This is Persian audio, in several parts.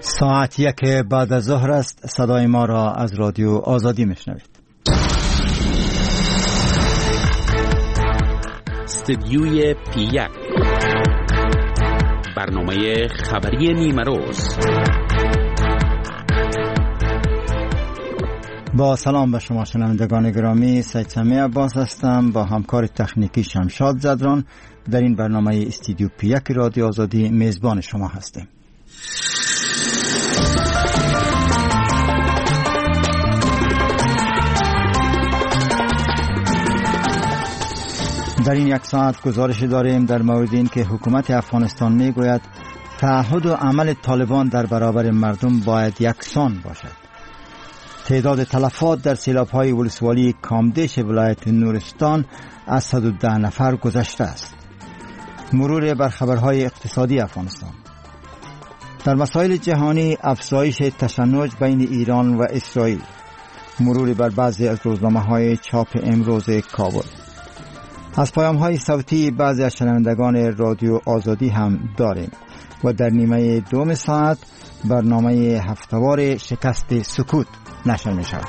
ساعت 1 بعد از ظهر است. صدای ما را از رادیو آزادی میشنوید. استدیوی پی 1، برنامه خبری نیمه روز. با سلام به شما شنوندگان گرامی، سید سمیع عباس هستم با همکار تخنیکی شمشاد زدران. در این برنامه استودیو پی 1 رادیو آزادی میزبان شما هستیم. در این یک ساعت گزارش داریم در مورد این که حکومت افغانستان میگوید تعهد و عمل طالبان در برابر مردم باید یکسان باشد. تعداد تلفات در سیلاب‌های ولسوالی کامدیش ولایت نورستان از 110 نفر گذشته است. مرور بر خبرهای اقتصادی افغانستان. در مسائل جهانی افزایش تشنج بین ایران و اسرائیل. مرور بر بعضی از روزنامه‌های چاپ امروز کابل. از پیام‌های صوتی بعضی از شنوندگان رادیو آزادی هم داریم و در نیمه دوم ساعت برنامه هفتوار شکست سکوت نشر می شود.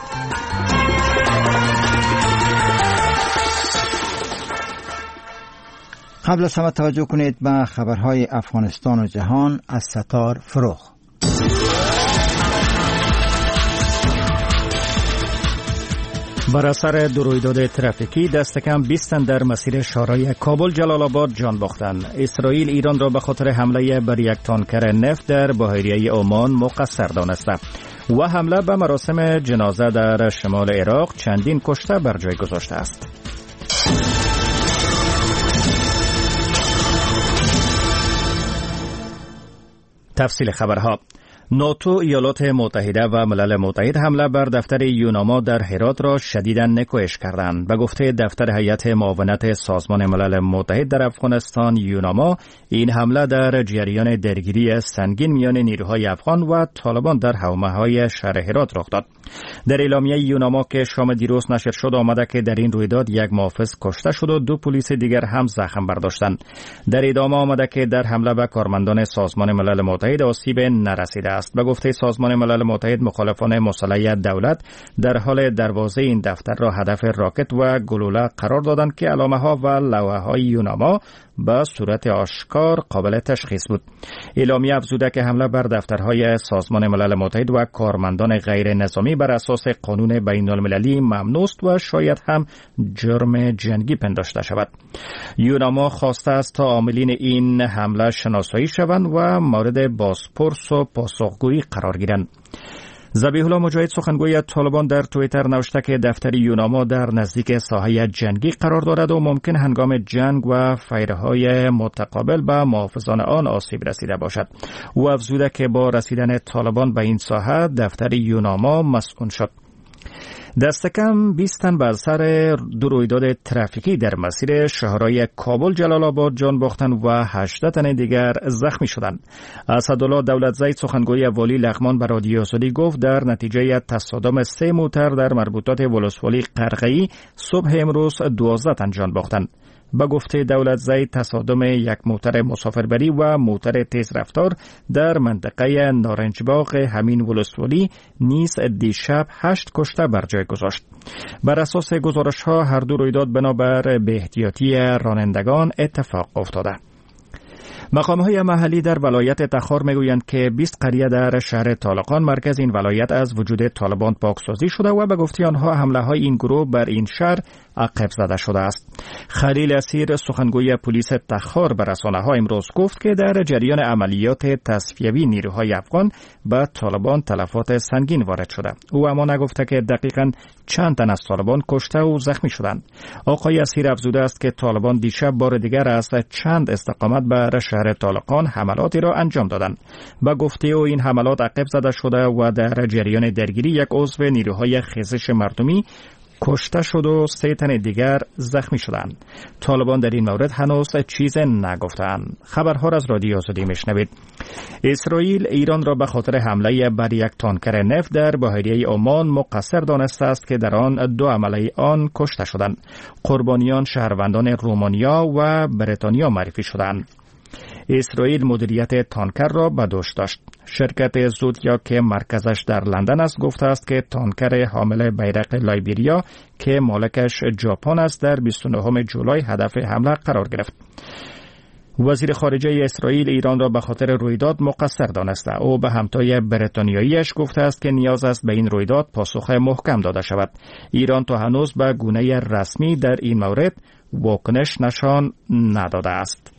قبل از همه توجه کنید به خبرهای افغانستان و جهان از ستار فروغ. بر اثر دو رویداد ترافیکی دست کم 20 تن در مسیر شاهراه کابل جلال آباد جان باختند. اسرائیل ایران را به خاطر حمله بر یک تانکر نفت در بحیره عمان مقصر دانسته و حمله به مراسم جنازه در شمال عراق چندین کشته بر جای گذاشته است. تفصیل خبرها. ناتو، ایالات متحده و ملل متحد حمله بر دفتر یوناما در هرات را شدیداً نکوهش کردند. به گفته دفتر هیئت معاونت سازمان ملل متحد در افغانستان یوناما، این حمله در جریان درگیری سنگین میان نیروهای افغان و طالبان در حومه‌های شهر هرات رخ داد. در اعلامیه یوناما که شام دیروز نشر شد آمده که در این رویداد یک محافظ کشته شد و 2 پلیس دیگر هم زخم برداشتند. در ادامه آمده که در حمله به کارمندان سازمان ملل متحد آسیب نرسیده است. به گفته سازمان ملل متحد، مخالفان مسلح دولت در حال دروازه این دفتر را هدف راکت و گلوله قرار دادند که علامه ها و لوحه های یوناما به صورت آشکار قابل تشخیص بود. اعلامیه افزوده که حمله بر دفترهای سازمان ملل متحد و کارمندان غیر نظامی بر اساس قانون بین المللی ممنوع است و شاید هم جرم جنگی پنداشته شود. یوناما خواسته است تا عاملین این حمله شناسایی شوند و مورد بازپرس و پاسخگویی قرار گیرند. ذبیح الله مجاهد سخنگوی طالبان در توییتر نوشته که دفتر یوناما در نزدیک ساحه جنگی قرار دارد و ممکن هنگام جنگ و فیرهای متقابل به محافظان آن آسیب رسیده باشد. او افزوده که با رسیدن طالبان به این ساحه دفتر یوناما مسکون شد. دست کم 20 تن بر سر دو رویداد ترافیکی در مسیر شهرهای کابل جلال آباد جان باختند و 18 تن دیگر زخمی شدند. اسدالله دولتزی سخنگوی والی لغمان به رادیو آزادی گفت در نتیجه تصادم 3 موتر در مربوطات ولسوالی قرقه‌ای صبح امروز 12 تن جان باختند. به گفته دولتزی تصادم یک موتر مسافربری و موتر تیز رفتار در منطقه نارنجباغ همین ولسوالی نیز دیشب 8 کشته بر جای گذاشت. بر اساس گزارش ها هر دو رویداد بنابر به احتیاطی رانندگان اتفاق افتاده. مقام‌های محلی در ولایت تخار میگویند که 20 قریه در شهر طالقان مرکز این ولایت از وجود طالبان پاکسازی شده و به گفته آنها حمله‌های این گروه بر این شهر عقب زده شده است. خلیل اسیر سخنگوی پلیس تخار به رسانه‌ها امروز گفت که در جریان عملیات تصفیوی نیروهای افغان به طالبان تلفات سنگین وارد شده. او اما نگفته که دقیقاً چند تن از طالبان کشته و زخمی شدند. آقای اسیر افزوده است که طالبان دیشب بار دیگر از چند استقامت بر شهر طالقان حملاتی را انجام دادند. به گفته او این حملات عقب زده شده و در جریان درگیری یک عضو نیروهای خیزش مردمی کشته شد و 3 تن دیگر زخمی شدند. طالبان در این مورد هنوز چیز نگفتند. خبرها را از رادیو آزادی میشنوید. اسرائیل ایران را به خاطر حمله بر یک تانکر نفت در بحیره عمان مقصر دانسته است که در آن 2 عمله آن کشته شدند. قربانیان شهروندان رومانیا و بریتانیا معرفی شدند. اسرائیل مدیریت تانکر را به دوش داشت. شرکت زودیا که مرکزش در لندن است گفته است که تانکر حامل بیرق لایبریا که مالکش ژاپن است در 29 جولای هدف حمله قرار گرفت. وزیر خارجه اسرائیل ایران را به خاطر رویداد مقصر دانسته. او به همتای بریتانیاییش گفته است که نیاز است به این رویداد پاسخ محکم داده شود. ایران تا هنوز به گونه رسمی در این مورد واکنش نشان نداده است.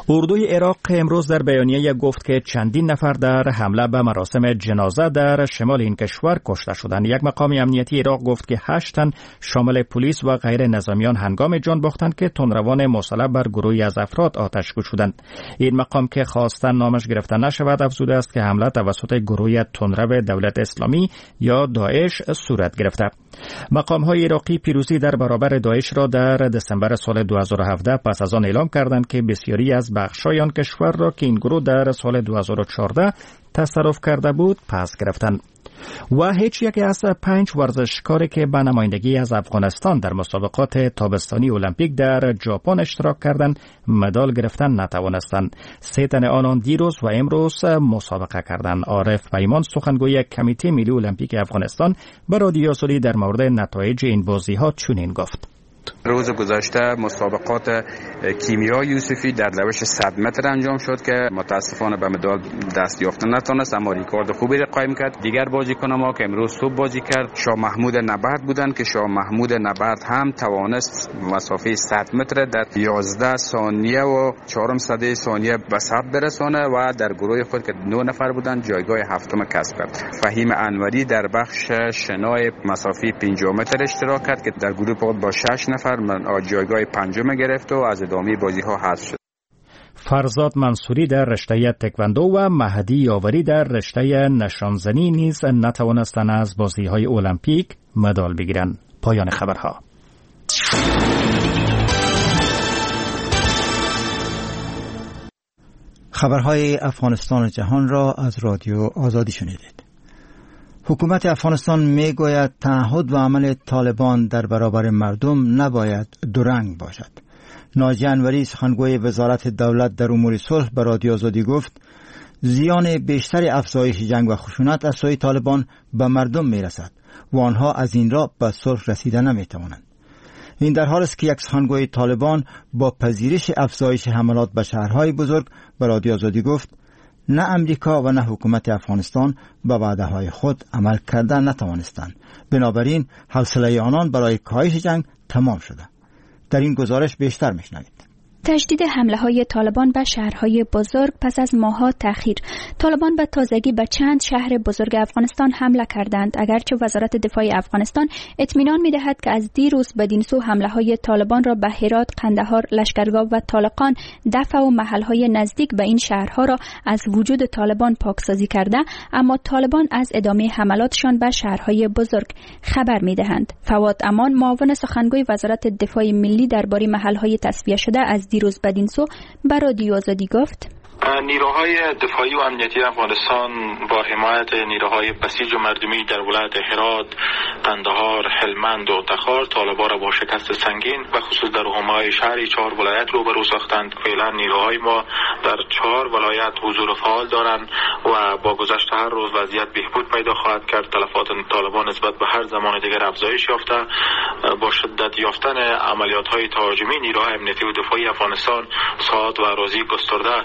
اردوی عراق امروز در بیانیه گفت که چندین نفر در حمله به مراسم جنازه در شمال این کشور کشته شدند. یک مقام امنیتی عراق گفت که 8 تن شامل پلیس و غیر نظامیان هنگام جان باختند که تندروان مسلح بر گروهی از افراد آتش گشودند. این مقام که خواستن نامش گرفته نشود افزوده است که حمله توسط گروه تندرو دولت اسلامی یا داعش صورت گرفته. مقام های عراقی پیروزی در برابر داعش را در دسامبر سال 2017 پس از آن اعلام کردند که بسیاری از بخش‌های آن کشور را که این گروه در سال 2014 تصرف کرده بود پس گرفتند. و هیچ یکی از 5 ورزشکاری که به نمایندگی از افغانستان در مسابقات تابستانی المپیک در ژاپن اشتراک کردند مدال گرفتن نتوانستند. 3 تن آنان دیروز و امروز مسابقه کردند. عارف پیمان سخنگوی کمیته ملی المپیک افغانستان به رادیو آزادی در مورد نتایج این بازی‌ها چنین گفت: روز گذشته مسابقات کیمیا یوسفی در روش 100 متر انجام شد که متاسفانه به مدال دست یافته نتونست، اما ریکارد خوبی را قایم کرد. دیگر بازیکن ما که امروز صبح بازی کرد شاه محمود نبرد بودند که شاه محمود نبرد هم توانست مسافه 100 متر در 11 ثانیه و 0.04 ثانیه به ثبت برسانه و در گروه خود که 9 نفر بودند جایگاه هفتم کسب کرد. فهیم انوری در بخش شنای مسافه 50 متر اشتراک کرد که در گروه خود با 6 نفر جایگاه پنجم گرفت و از ادامه بازی ها حذف شد. فرزاد منصوری در رشته تکواندو و مهدی یاوری در رشته نشانزنی نیز نتوانستند از بازی های المپیک مدال بگیرند. پایان خبرها. خبرهای افغانستان و جهان را از رادیو آزادی شنیدید. حکومت افغانستان میگوید تعهد و عمل طالبان در برابر مردم نباید دورنگ باشد. ناجی انوری سخنگوی وزارت دولت در امور صلح به رادیو آزادی گفت زیان بیشتر افزایش جنگ و خشونت از سوی طالبان به مردم میرسد و آنها از این را به صلح رسیده نمیتوانند. این در حال است که یک سخنگوی طالبان با پذیرش افزایش حملات به شهرهای بزرگ به رادیو آزادی گفت نه امریکا و نه حکومت افغانستان به وعده‌های خود عمل کردن نتوانستند. بنابراین حوصله آنان برای کاهش جنگ تمام شده. در این گزارش بیشتر میشنوید. تشدید حمله های طالبان به شهرهای بزرگ پس از ماه‌ها تأخیر. طالبان به تازگی به چند شهر بزرگ افغانستان حمله کردند، اگرچه وزارت دفاع افغانستان اطمینان می‌دهد که از دیروز بدین سو حمله های طالبان را به هرات، قندهار، لشکرگاه و طالقان دفع و محل‌های نزدیک به این شهرها را از وجود طالبان پاکسازی کرده، اما طالبان از ادامه حملاتشان به شهرهای بزرگ خبر می‌دهند. فواد امان، معاون سخنگوی وزارت دفاع ملی، درباره محل‌های تصفیه شده از دیروز بدین سو به رادیو آزادی گفت: نیروهای دفاعی و امنیتی افغانستان با حمایت نیروهای بسیج و مردمی در ولایت هرات، قندهار، هلمند و تخار طالبان را با شکست سنگین و خصوص در حومه‌های شهری 4 ولایت روبرو ساختند. فعلا نیروهای ما در 4 ولایت حضور فعال دارند و با گذشت هر روز وضعیت بهبود پیدا خواهد کرد. تلفات طالبان نسبت به هر زمان دیگر افزایش یافته. با شدت یافتن عملیات‌های تهاجمی نیروهای امنیتی و دفاعی افغانستان ساعات و اراضی گسترده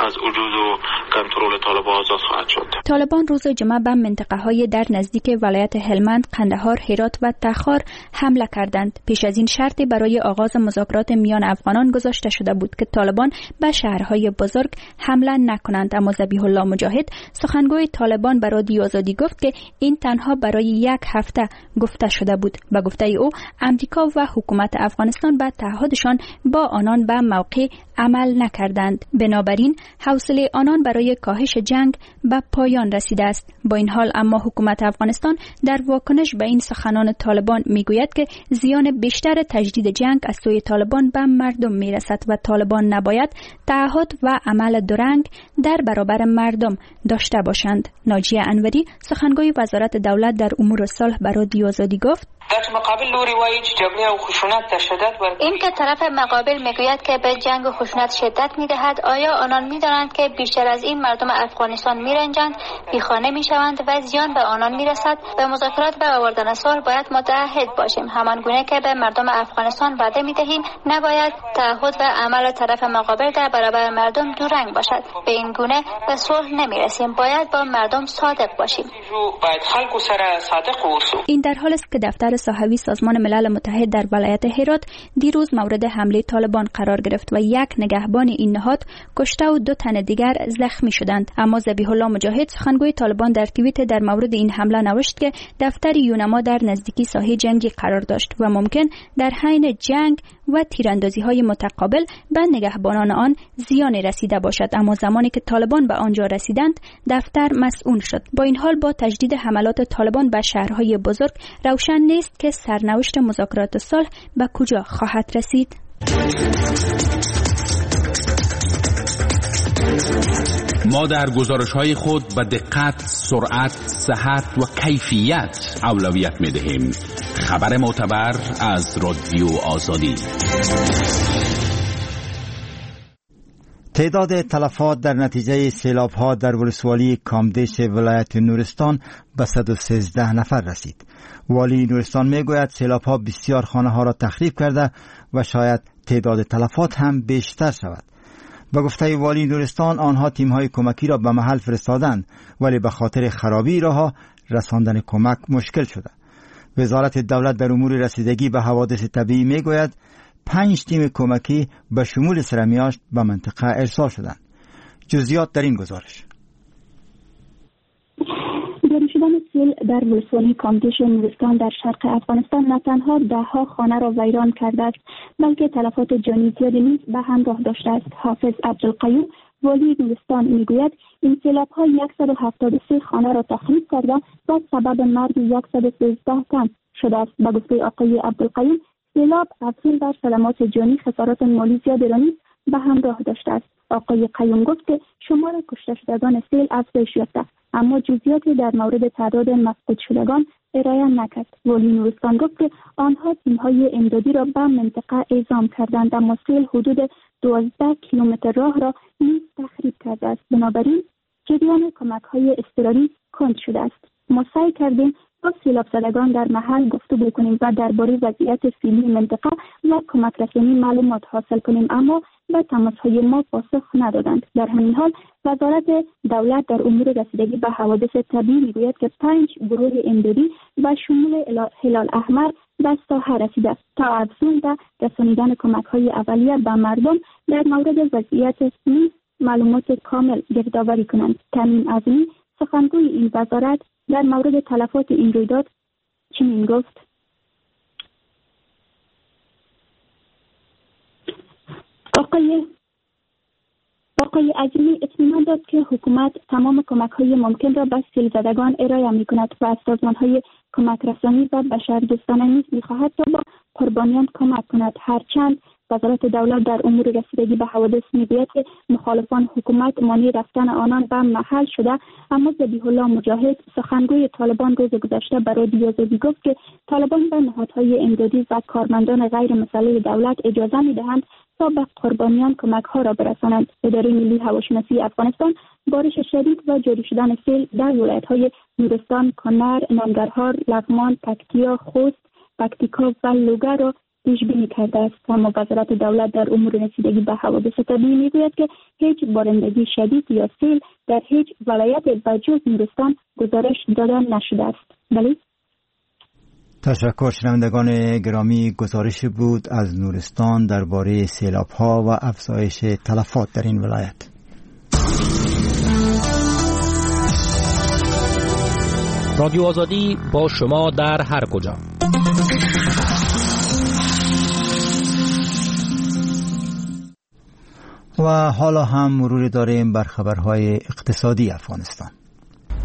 از وجود و کنترل طالبان آزاد خواهد شد. طالبان روز جمعه به منطقه‌های در نزدیک ولایت هلمند، قندهار، هرات و تخار حمله کردند. پیش از این شرطی برای آغاز مذاکرات میان افغانان گذاشته شده بود که طالبان به شهرهای بزرگ حمله نکنند، اما ذبیح الله مجاهد سخنگوی طالبان به رادیو آزادی گفت که این تنها برای یک هفته گفته شده بود. به گفته او امریکا و حکومت افغانستان به تعهدشان با آنان به موقع عمل نکردند. بنابراین حوصله آنان برای کاهش جنگ به پایان رسیده است. با این حال اما حکومت افغانستان در واکنش به این سخنان طالبان میگوید که زیان بیشتر تجدید جنگ از سوی طالبان به مردم میرسد و طالبان نباید تعهد و عمل درنگ در برابر مردم داشته باشند. ناجیه انوری سخنگوی وزارت دولت در امور صلح به رادیو آزادی گفت: این که طرف مقابل میگوید که به جنگ و خشونت شدت میدهد، آیا آنان میدانند که بیشتر از این مردم افغانستان میرنجند، بیخانه میشوند و زیان به آنان میرسد؟ به مذاکرات و آوردن صلح باید متعهد باشیم. همان گونه که به مردم افغانستان وعده میدهیم، نباید تعهد و عمل طرف مقابل در برابر مردم دو رنگ باشد. به این گونه به صلح نمیرسیم. باید با مردم صادق باشیم. این در حال است که دفتر ساحوی سازمان ملل متحد در ولایت هرات دیروز مورد حمله طالبان قرار گرفت و یک نگهبان این نهاد کشته و 2 تن دیگر زخمی شدند. اما ذبیح الله مجاهد، سخنگوی طالبان، در توییت در مورد این حمله نوشت که دفتر یونما در نزدیکی ساحه جنگی قرار داشت و ممکن در حین جنگ و تیراندازی‌های متقابل به نگهبانان آن زیان رسیده باشد. اما زمانی که طالبان به آنجا رسیدند، دفتر مسئول شد. با این حال با تجدید حملات طالبان به شهرهای بزرگ، روشن نیست که سرنوشت مذاکرات صلح به کجا خواهد رسید. ما در گزارش‌های خود به دقت، سرعت، صحت و کیفیت اولویت می‌دهیم. خبر معتبر از رادیو آزادی. تعداد تلفات در نتیجه سیلاب‌ها در ولسوالی کامدیش ولایت نورستان به 113 نفر رسید. والی نورستان میگوید سیلاب‌ها بسیار خانه‌ها را تخریب کرده و شاید تعداد تلفات هم بیشتر شود. به گفته والی نورستان آنها تیم‌های کمکی را به محل فرستادند، ولی به خاطر خرابی راه‌ها رساندن کمک مشکل شده. وزارت دولت در امور رسیدگی به حوادث طبیعی میگوید 5 تیم کمکی به شمول سرمیاشت به منطقه ارسال شدند. جزئیات در این گزارش. جاری شدن سیل در ولسوالی کامدیش نورستان در شرق افغانستان نه تنها ده‌ها خانه را ویران کرده است، بلکه تلفات جانی زیادی نیز به همراه داشته است. حافظ عبدالقیوم، والی نورستان، میگوید این سیلاب‌ها 173 خانه را تخریب کرده و سبب مرگ 113 تن شده است. به گفته آقای عبدالقیوم، سیلاب افزون بر صدمات جانی خسارات مالی زیادی را نیز به همراه داشته است. آقای قیوم گفت که شمار کشته شدگان سیل افزایش یافته، اما جزئیاتی در مورد تعداد مفقود شدگان ارائه نکرد. والی نورستان گفت که آنها تیم‌های امدادی را به منطقه اعزام کردند، اما سیل حدود 12 کیلومتر راه را نیز تخریب کرده است. بنابراین جریان کمک‌های اضطراری کند شده است. ما سعی کردیم با سیلاب زدگان در محل گفتگو کنیم و درباره وضعیت فعلی منطقه و کمک رسانی معلومات حاصل کنیم، اما به تماس‌های ما پاسخ ندادند. در همین حال وزارت دولت در امور رسیدگی به حوادث طبیعی میگوید که 5 گروه امدادی و شمول هلال احمر به ساحه رسیده تا افزون به رسانیدن کمک‌های اولیه به مردم در مورد وضعیت نیز معلومات کامل گردآوری کنند. تمیم عظیمی، سخنگوی این وزارت، در مورد تلفات این رویداد چنین گفت: آقای عظیمی اطمینان داد که حکومت تمام کمک‌های ممکن را به سیل زدگان ارائه می‌کند و از سازمان‌های کمک رسانی و بشردوستانه نیز می‌خواهد تا با قربانیان کمک کند. هرچند وزارت دولت در امور رسیدگی به حوادث میگوید که مخالفان حکومت مانع رفتن آنان به محل شده، اما ذبیح الله مجاهد، سخنگوی طالبان، روز گذشته برای رادیو آزادی گفت که طالبان به نهادهای امدادی و کارمندان غیر مسلح دولت اجازه میدهند تا به قربانیان کمک ها را برسانند. اداره ملی هواشناسی افغانستان بارش شدید و جاری شدن سیل در ولایت های نورستان، کنر، ننگرهار، لغمان، پکتیا، خوست، پکتیکا و لوگر را پیش بینی کرده است. اما وزارت دولت در امور رسیدگی به حوادث طبیعی میگوید که هیچ بارندگی شدید یا سیل در هیچ ولایت به جز نورستان گزارش داده نشده است. بله. تشکر شنوندگان گرامی، گزارش بود از نورستان درباره سیلاب‌ها و افزایش تلفات در این ولایت. رادیو آزادی با شما در هر کجا. و حالا هم مرور داریم بر خبرهای اقتصادی افغانستان.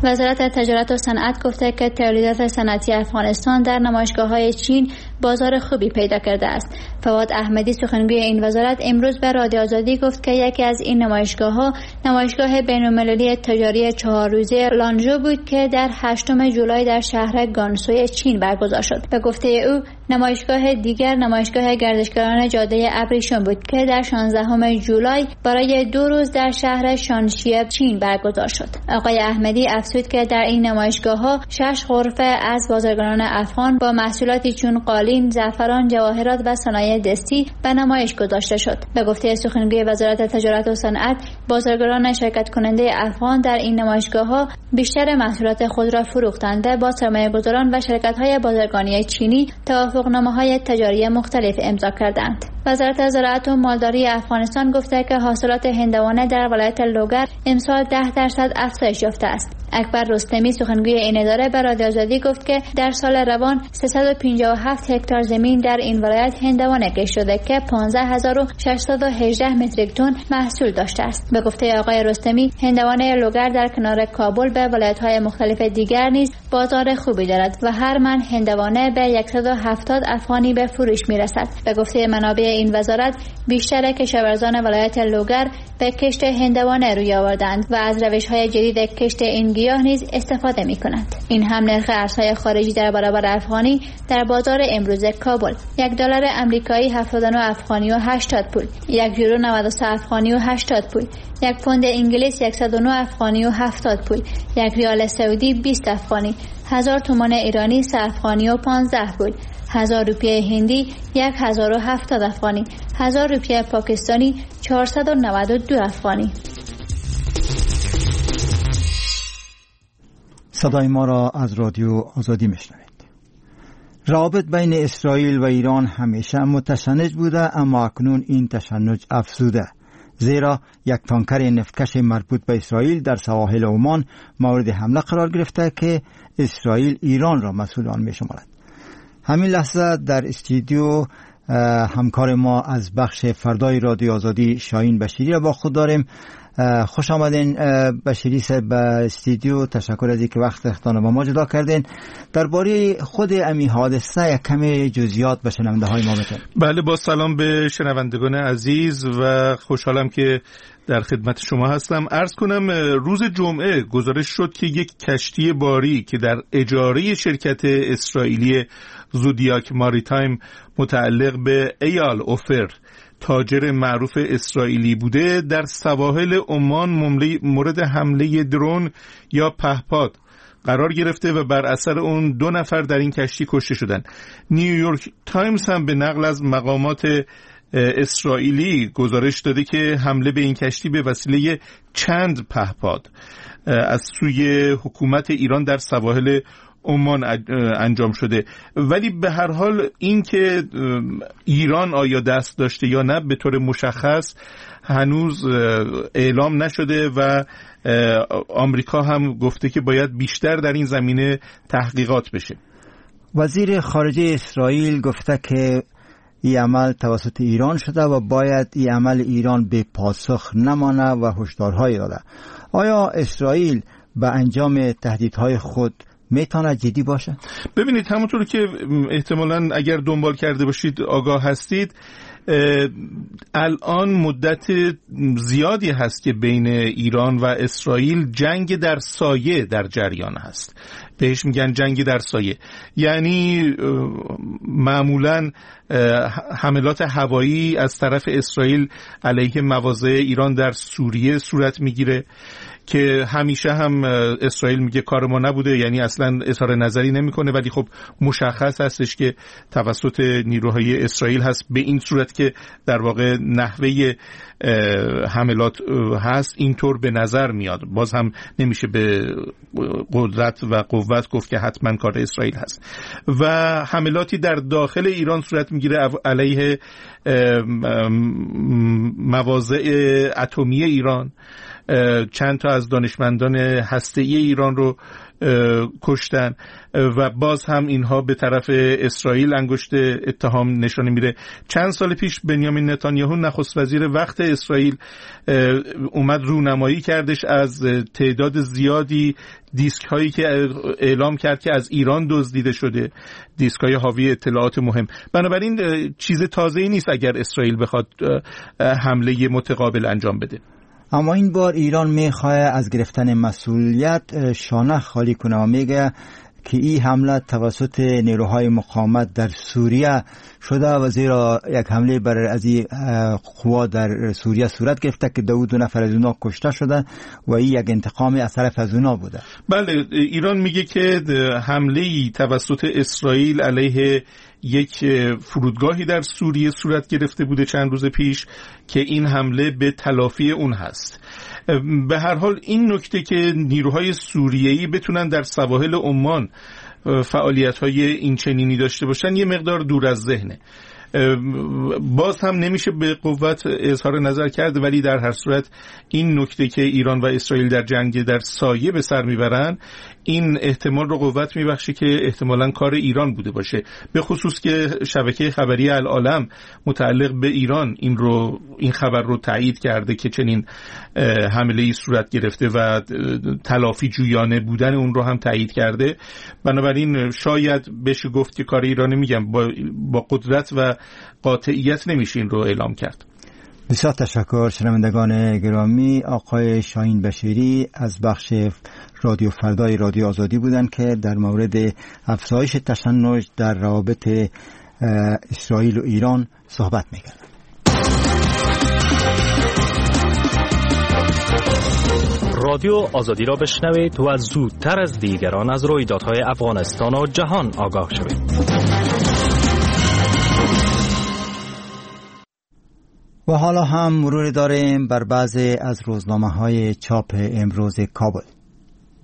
وزارت تجارت و صنعت گفته که تولیدات صنعتی افغانستان در نمایشگاه‌های چین بازار خوبی پیدا کرده است. فواد احمدی سخنگوی این وزارت امروز به رادیو آزادی گفت که یکی از این نمایشگاه‌ها نمایشگاه بین‌المللی تجاری 4 روزه لانژو بود که در 8 جولای در شهر گانسوی چین برگزار شد. به گفته او نمایشگاه دیگر نمایشگاه گردشگران جاده ابریشم بود که در 16 جولای برای 2 روز در شهر شانشی چین برگزار شد. آقای احمدی افزود که در این نمایشگاه‌ها 6 غرفه از بازرگانان افغان با محصولاتی چون قالین، زعفران، جواهرات و صنایع دستی به نمایش گذاشته شد. به گفته سخنگوی وزارت تجارت و صنعت، بازرگانان شرکت کننده افغان در این نمایشگاه‌ها بیشتر محصولات خود را فروختند و با سرمایه‌گذاران و شرکت‌های بازرگانی چینی توافقنامه‌های تجاری مختلف امضا کردند. وزارت زراعت و مالداری افغانستان گفته که حاصلات هندوانه در ولایت لوگر امسال 10% افزایش یافته است. اکبر رستمی سخنگوی این اداره به رادیو آزادی گفت که در سال روان 357 هکتار زمین در این ولایت هندوانه کشت شده که 15618 متریک تن محصول داشته است. به گفته آقای رستمی، هندوانه لوگر در کنار کابل به ولایت‌های مختلف دیگر نیز بازار خوبی دارد و هر من هندوانه به 170 افغانی به فروش می‌رسد. به گفته منابع این وزارت، بیشتر کشاورزان ولایت لوگر به کشت هندوانه روی آوردند و از روش‌های جدید کشت این گیاه نیز استفاده می‌کنند. این هم نرخ ارزهای خارجی در برابر افغانی در بازار امروز کابل: $1 آمریکایی 79 افغانی و 80 پول، €1 93 افغانی و 80 پول، £1 انگلیس 109 افغانی و 70 پول، £1 سعودی 20 افغانی، 1000 تومان ایرانی 3 افغانی و 15 پول، 1000 روپیه هندی 1070 افغانی، 1000 روپیه پاکستانی 492 افغانی. صدای ما را از رادیو آزادی میشنوید. روابط بین اسرائیل و ایران همیشه متشنج بوده، اما اکنون این تشنج افزوده، زیرا یک تانکر نفتکش مربوط به اسرائیل در سواحل عمان مورد حمله قرار گرفته که اسرائیل ایران را مسئول آن می‌شمارد. همین لحظه در استودیو همکار ما از بخش فردای رادیو آزادی شاهین بشیری را با خود داریم. خوش آمدین بشیری صاحب به استودیو. تشکر از اینکه وقت اختان با ما جدا کردین. درباره خود امی حادثه یک کمی جزئیات به شنونده های ما بتین. بله، با سلام به شنوندگان عزیز و خوشحالم که در خدمت شما هستم. عرض کنم روز جمعه گزارش شد که یک کشتی باری که در اجاره شرکت اسرائیلی زودیاک ماریتایم متعلق به ایال اوفر، تاجر معروف اسرائیلی بوده، در سواحل عمان مورد حمله درون یا پهپاد قرار گرفته و بر اثر اون 2 نفر در این کشتی کشته شدند. نیویورک تایمز هم به نقل از مقامات اسرائیلی گزارش داده که حمله به این کشتی به وسیله چند پهپاد از سوی حکومت ایران در سواحل عمان انجام شده. ولی به هر حال این که ایران آیا دست داشته یا نه به طور مشخص هنوز اعلام نشده و آمریکا هم گفته که باید بیشتر در این زمینه تحقیقات بشه. وزیر خارجه اسرائیل گفته که این عمل توسط ایران شده و باید این عمل ایران به پاسخ نمانه و هشدارهایی داده. آیا اسرائیل به انجام تهدیدهای خود میتونه جدی باشه؟ ببینید، همونطور که احتمالاً اگر دنبال کرده باشید آگاه هستید، الان مدت زیادی هست که بین ایران و اسرائیل جنگ در سایه در جریان هست. بهش میگن جنگ در سایه، یعنی معمولاً حملات هوایی از طرف اسرائیل علیه مواضع ایران در سوریه صورت میگیره که همیشه هم اسرائیل میگه کار ما نبوده، یعنی اصلا اظهار نظری نمیکنه، ولی خب مشخص هستش که توسط نیروهای اسرائیل هست، به این صورت که در واقع نحوه حملات هست اینطور به نظر میاد. باز هم نمیشه به قدرت و قوت گفت که حتما کار اسرائیل هست. و حملاتی در داخل ایران صورت میگیره علیه مواضع اتمی ایران چند تا از دانشمندان هسته‌ای ایران رو کشتن و باز هم اینها به طرف اسرائیل انگشت اتهام نشانه میره. چند سال پیش بنیامین نتانیاهو نخست وزیر وقت اسرائیل اومد رونمایی کردش از تعداد زیادی دیسک هایی که اعلام کرد که از ایران دزدیده شده، دیسک های حاوی اطلاعات مهم. بنابراین چیز تازه‌ای نیست اگر اسرائیل بخواد حمله متقابل انجام بده. اما این بار ایران میخواه از گرفتن مسئولیت شانه خالی کنه و میگه که این حمله توسط نیروهای مقاومت در سوریه شده و زیرا یک حمله بر از این قوا در سوریه صورت گرفته که 2 نفر از اونا کشته شده و این یک انتقام از طرف از اونا بوده. بله، ایران میگه که حمله توسط اسرائیل علیه یک فرودگاهی در سوریه صورت گرفته بوده چند روز پیش که این حمله به تلافی اون هست. به هر حال این نکته که نیروهای سوریه‌ای بتونن در سواحل عمان فعالیت‌های این چنینی داشته باشن یه مقدار دور از ذهنه. باز هم نمیشه به قوت اظهار نظر کرد، ولی در هر صورت این نکته که ایران و اسرائیل در جنگ در سایه به سر میبرن این احتمال رو قوت میبخشه که احتمالاً کار ایران بوده باشه، به خصوص که شبکه خبری العالم متعلق به ایران این خبر رو تایید کرده که چنین حمله‌ای صورت گرفته و تلافی جویانه بودن اون رو هم تایید کرده. بنابراین شاید بشه گفت که کار ایران، میگم با قدرت و قاطعیت نمیشه این رو اعلام کرد. بسیار تشکر شنوندگان گرامی. آقای شاهین بشیری از بخش رادیو فردای رادیو آزادی بودند که در مورد افزایش تشنج در روابط اسرائیل و ایران صحبت میکردند. رادیو آزادی را بشنوید و زودتر از دیگران از رویدادهای افغانستان و جهان آگاه شوید. و حالا هم مرور داریم بر بعضی از روزنامه‌های چاپ امروز کابل.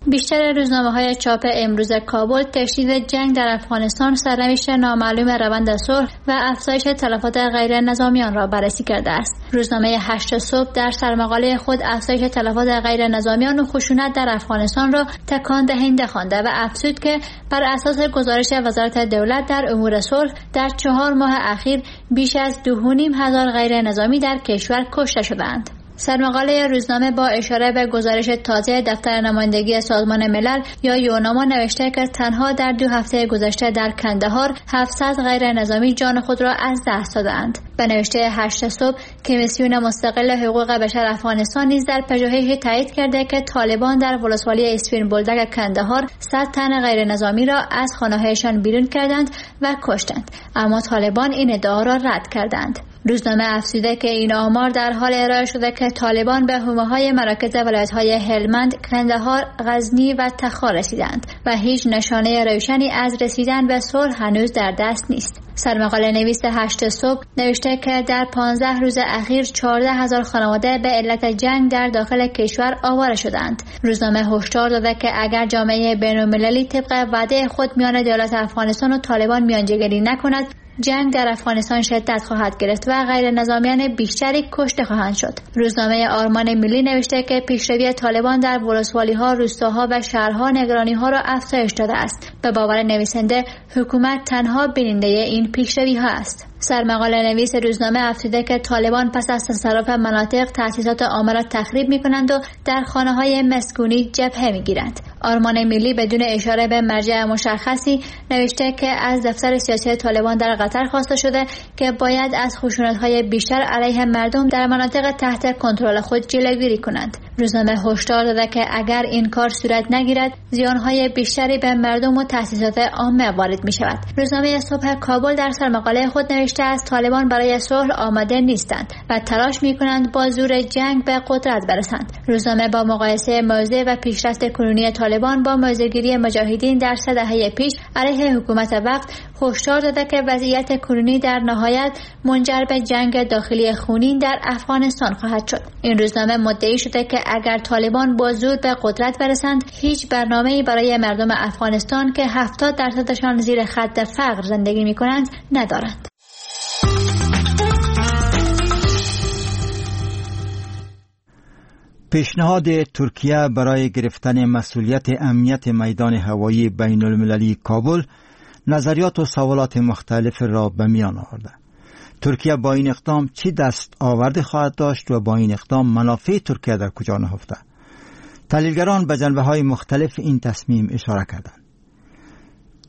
بیشتر روزنامه‌های چاپ امروز کابل تشدید جنگ در افغانستان، سرنوشت نامعلوم روند صلح و افزایش تلفات غیر نظامیان را بررسی کرده است. روزنامه 8 صبح در سرمقاله خود افزایش تلفات غیر نظامیان و خشونت در افغانستان را تکان دهنده خوانده و افزود که بر اساس گزارش وزارت دولت در امور صلح در 4 ماه اخیر بیش از 2,500 غیر نظامی در کشور کشته شدند. سرمقاله روزنامه با اشاره به گزارش تازه دفتر نمایندگی سازمان ملل یا یوناما نوشته که تنها در 2 هفته گذشته در کندهار 700 غیر نظامی جان خود را از دست دادند. به نوشته 8 صبح کمیسیون مستقل حقوق بشر افغانستان نیز در پژوهشی تایید کرده که طالبان در ولسوالی اسپین بولدک کندهار 100 تن غیر نظامی را از خانه‌هایشان بیرون کردند و کشتند، اما طالبان این ادعا را رد کردند. روزنامه افزوده که این آمار در حال ارائه شده که طالبان به حومه‌های مراکز ولایت‌های هلمند، کندهار، غزنی و تخار رسیدند و هیچ نشانه روشنی از رسیدن به صلح هنوز در دست نیست. سرمقاله نویس 8 صبح نوشته که در 15 روز اخیر 14,000 خانواده به علت جنگ در داخل کشور آواره شدند. روزنامه هشدار داده که اگر جامعه بین‌المللی طبق وعده خود میان دولت افغانستان و طالبان میانجیگری نکند، جنگ در افغانستان شدت خواهد گرفت و غیر نظامیان بیشتری کشته خواهند شد. روزنامه آرمان ملی نوشته که پیشروی طالبان در ولسوالی‌ها، روستاها و شهرها نگرانی‌ها را افزایش داده است. به باور نویسنده، حکومت تنها بیننده این پیشروی‌ها است. سرمقاله نویس روزنامه افزوده که طالبان پس از تصرف مناطق تأسیسات عامه را تخریب می‌کنند و در خانه‌های مسکونی جبهه می‌گیرند. آرمان ملی بدون اشاره به مرجع مشخصی نوشته که از دفتر سیاسی طالبان در قطر خواسته شده که باید از خشونت‌های بیشتر علیه مردم در مناطق تحت کنترل خود جلوگیری کنند. روزنامه هشدار داده که اگر این کار صورت نگیرد، زیان‌های بیشتری به مردم و تأسیسات عامه وارد می‌شود. روزنامه صبح کابل در سرمقاله خود نوشته است طالبان برای صلح آماده نیستند و تلاش می‌کنند با زور جنگ به قدرت برسند. روزنامه با مقایسه موضع و پیشرفت کنونی طالبان با موضع‌گیری مجاهدین در 3 دهه پیش علیه حکومت وقت هشدار داده که وضعیت کنونی در نهایت منجر به جنگ داخلی خونین در افغانستان خواهد شد. این روزنامه مدعی شده که اگر طالبان با زور به قدرت برسند، هیچ برنامه‌ای برای مردم افغانستان که 70% زیر خط فقر زندگی می‌کنند ندارند. پیشنهاد ترکیه برای گرفتن مسئولیت امنیت میدان هوایی بین المللی کابل نظریات و سوالات مختلف را به میان آورده. ترکیه با این اقدام چی دست آورده خواهد داشت و با این اقدام منافع ترکیه در کجا نهفته؟ تحلیلگران به جنبه‌های مختلف این تصمیم اشاره کردند.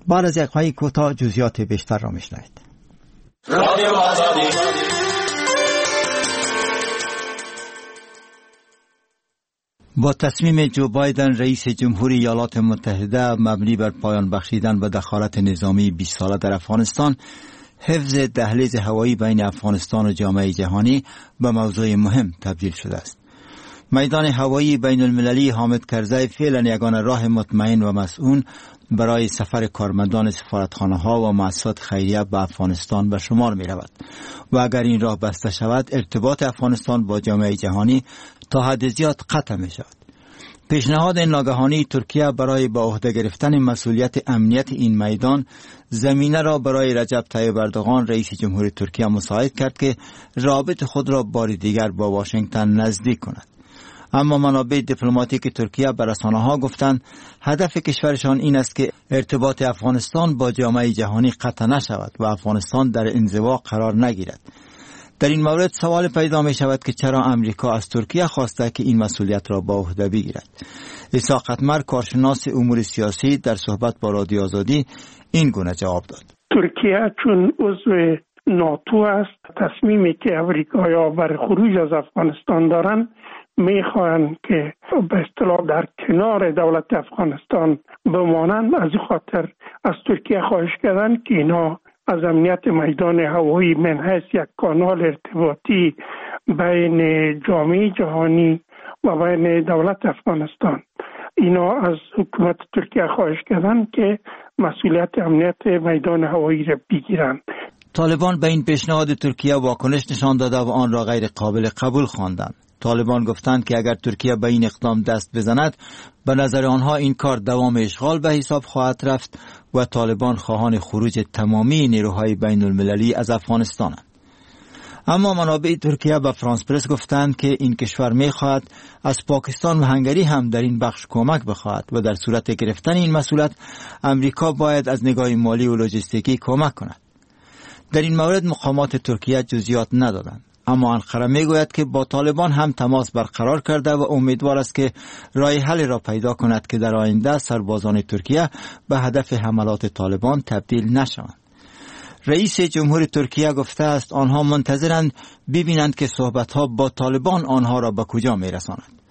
بعد از یک کوتاه جزئیات بیشتر را میشنوید. رادیو آزادی. با تصمیم جو بایدن رئیس جمهوری ایالات متحده مبنی بر پایان بخشیدن به دخالت نظامی 20 ساله در افغانستان، حفظ دهلیز هوایی بین افغانستان و جامعه جهانی به موضوع مهم تبدیل شده است. میدان هوایی بین المللی حامد کرزی فعلا یگانه راه مطمئن و مسئول برای سفر کارمندان سفارتخانه ها و مؤسسات خیریه به افغانستان به شمار می رود و اگر این راه بسته شود ارتباط افغانستان با جامعه جهانی تا حد زیاد قطع می شود. پیشنهاد ناگهانی ترکیه برای به عهده گرفتن مسئولیت امنیت این میدان زمینه را برای رجب طیب اردوغان رئیس جمهور ترکیه مساعد کرد که رابط خود را بار دیگر با واشنگتن نزدیک کند. اما منابع دیپلماتیک ترکیه به رسانه‌ها گفتند هدف کشورشان این است که ارتباط افغانستان با جامعه جهانی قطع نشود و افغانستان در انزوا قرار نگیرد. در این مورد سوال پیدا می شود که چرا امریکا از ترکیه خواسته که این مسئولیت را به عهده بگیرد. اسحاق اتمر، کارشناس امور سیاسی، در صحبت با رادیو آزادی این گونه جواب داد: ترکیه چون عضو ناتو است، تصمیمی که امریکایی‌ها بر خروج از افغانستان دارند میخواهند که به اصطلاح در کنار دولت افغانستان بمانند. از این خاطر از ترکیه خواهش کردند که اینا از امنیت میدان هوایی من حیث یک کانال ارتباطی بین جامعه جهانی و بین دولت افغانستان، اینا از حکومت ترکیه خواهش کردند که مسئولیت امنیت میدان هوایی را بگیرند. طالبان به این پیشنهاد ترکیه واکنش نشان داده و آن را غیر قابل قبول خواندند. طالبان گفتند که اگر ترکیه به این اقدام دست بزند به نظر آنها این کار دوام اشغال به حساب خواهد رفت و طالبان خواهان خروج تمامی نیروهای بین المللی از افغانستانند. اما منابع ترکیه به فرانس پرس گفتند که این کشور می‌خواهد از پاکستان و هنگری هم در این بخش کمک بخواهد و در صورت گرفتن این مسئولیت امریکا باید از نگاه مالی و لوجستیکی کمک کند. در این مورد مقامات ترکیه جزئیات ندادند. اما انقره میگوید که با طالبان هم تماس برقرار کرده و امیدوار است که راه حل را پیدا کند که در آینده سربازان ترکیه به هدف حملات طالبان تبدیل نشوند. رئیس جمهور ترکیه گفته است آنها منتظرند ببینند که صحبت‌ها با طالبان آنها را به کجا می‌رساند.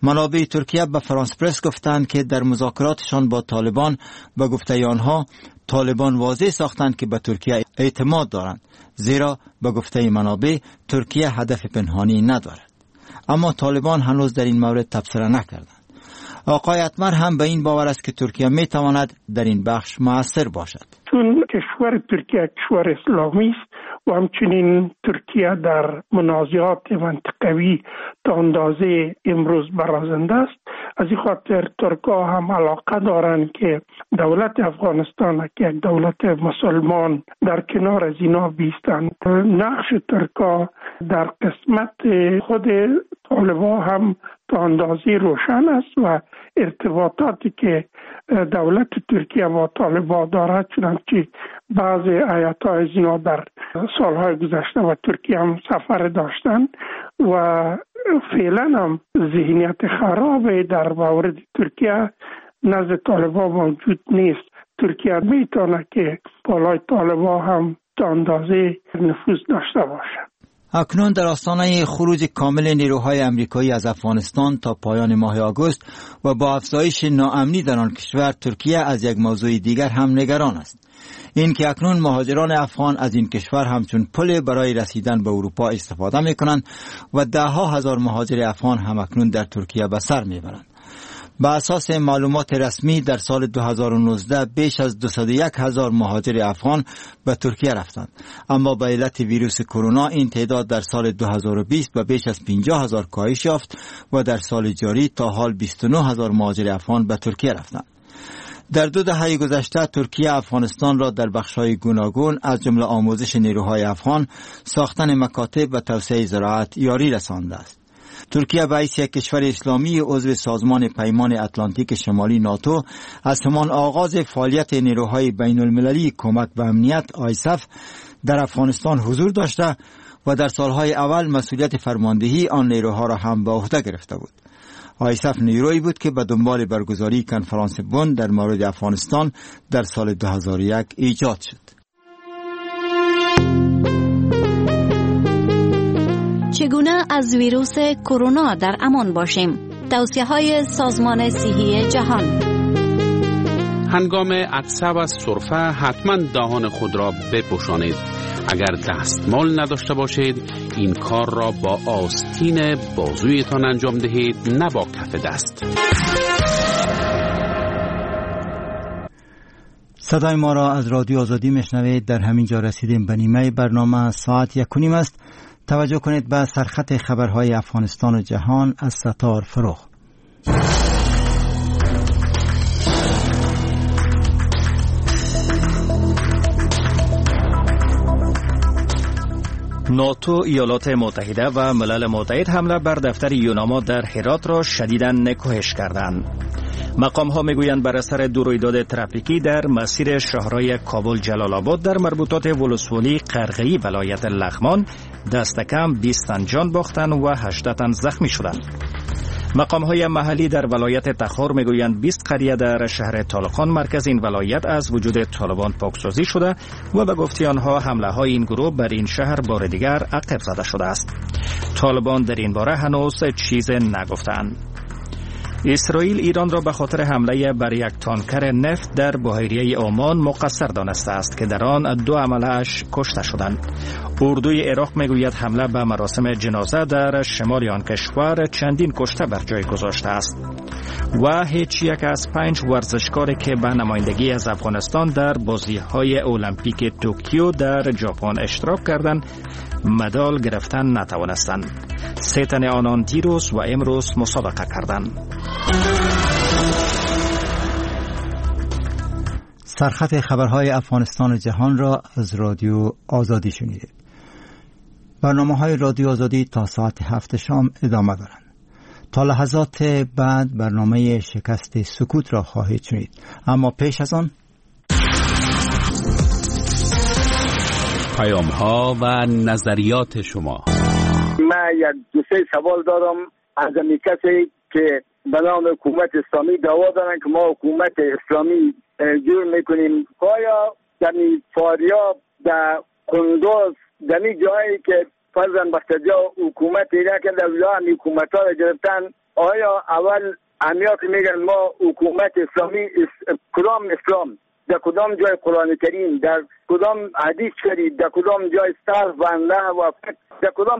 منابع ترکیه به فرانس پرس گفتند که در مذاکراتشان با طالبان به گفته آنها طالبان واضح ساختند که به ترکیه اعتماد دارند، زیرا به گفته منابع ترکیه هدف پنهانی ندارد. اما طالبان هنوز در این مورد تبصره نکردند. آقای اتمر هم به این باور است که ترکیه می تواند در این بخش مؤثر باشد. چون کشور ترکیه کشور اسلامی است و همچنین ترکیه در منازعات منطقوی تا اندازه امروز برازنده است، از این خاطر ترک‌ها هم علاقه دارند که دولت افغانستان که یک دولت مسلمان در کنار از اینا بیستند. نقش ترک‌ها در قسمت خود طالبان هم تا اندازه روشن است و ارتباطاتی که دولت ترکیه با طالبان دارد، چنانچه بعض هیئت‌های از اینا در سالهای گذشته و ترکیه هم سفر داشتند و فعلا هم ذهنیت خراب در مورد ترکیه نزد طالبان موجود نیست. ترکیه میتونه که بالای طالبان هم تا اندازه نفوذ داشته باشد. اکنون در آستانه خروج کامل نیروهای امریکایی از افغانستان تا پایان ماه آگوست و با افزایش ناامنی در آن کشور، ترکیه از یک موضوع دیگر هم نگران است. این که اکنون مهاجران افغان از این کشور همچون پل برای رسیدن به اروپا استفاده می‌کنند و ده ها هزار مهاجر افغان هم اکنون در ترکیه به سر می‌برند. به اساس معلومات رسمی در سال 2019 بیش از 201,000 مهاجر افغان به ترکیه رفتند، اما به علت ویروس کرونا این تعداد در سال 2020 به بیش از 50,000 کاهش یافت و در سال جاری تا حال 29,000 مهاجر افغان به ترکیه رفتند. در 2 دهه گذشته ترکیه افغانستان را در بخش‌های گوناگون از جمله آموزش نیروهای افغان، ساختن مکاتب و توسعه زراعت یاری رسانده است. ترکیه به حیث یک کشور اسلامی عضو سازمان پیمان اتلانتیک شمالی ناتو از همان آغاز فعالیت نیروهای بین المللی کمک به امنیت آیسف در افغانستان حضور داشته و در سالهای اول مسئولیت فرماندهی آن نیروها را هم به عهده گرفته بود. آیسف نیرویی بود که به دنبال برگزاری کنفرانس بن در مورد افغانستان در سال 2001 ایجاد شد. چگونه از ویروس کرونا در امان باشیم؟ توصیه‌های سازمان صحی جهان. هنگام عطسه و سرفه حتما دهان خود را بپوشانید. اگر دستمال نداشته باشید این کار را با آستین بازویتان انجام دهید، نه با کف دست. صدای ما را از رادیو آزادی میشنوید. در همین جا رسیدیم به نیمه برنامه. ساعت 1:30 است. توجه کنید به سرخط خبرهای افغانستان و جهان از ستار فروغ. ناتو، ایالات متحده و ملل متحد حمله بر دفتر یوناما در هرات را شدیداً نکوهش کردند. مقام ها میگویند بر اثر دو رویداد ترافیکی در مسیر شهرهای کابل جلال آباد در مربوطات ولسوالی قرغه‌ای ولایت لغمان دست کم 20 تن جان باختند و 18 تن زخمی شدند. مقام های محلی در ولایت تخار میگویند 20 قریه در شهر طالقان مرکز این ولایت از وجود طالبان پاکسازی شده و به گفته آنها حمله های این گروه بر این شهر بار دیگر عقب زده شده است. طالبان در این باره هنوز چیز نگفتند. اسرائیل ایران را به خاطر حمله بر یک تانکر نفت در بحیره عمان مقصر دانسته است که در آن 2 عمله‌اش کشته شدند. اردوی عراق میگوید حمله به مراسم جنازه در شمال آن کشور چندین کشته بر جای گذاشته است. و هیچ یک از 5 ورزشکار که به نمایندگی از افغانستان در بازی‌های المپیک توکیو در ژاپن اشتراک کردند مدال گرفتن نتوانستند. 3 تن آنان دیروز و امروز مسابقه کردند. سرخط خبرهای افغانستان و جهان را از رادیو آزادی شنیدید. برنامه‌های رادیو آزادی تا ساعت 7 شام ادامه دارند. تا لحظات بعد برنامه شکست سکوت را خواهید شنید. اما پیش از آن پیام‌ها و نظریات شما. من یک دو سه سوال دارم از کسی که به نام حکومت اسلامی دعوا دارن که ما حکومت اسلامی جور میکنیم. آیا در فاریاب، در قندوز، در جایی که فرزن بختجا حکومت ایران که در هم حکومت ها را گرفتن، آیا اول امیا که میگن ما حکومت اسلامی، کدام اسلام، در کدام جای قرآن کریم، در کدام حدیث شریف، در کدام جای صرف و نحو و فقه، در کدام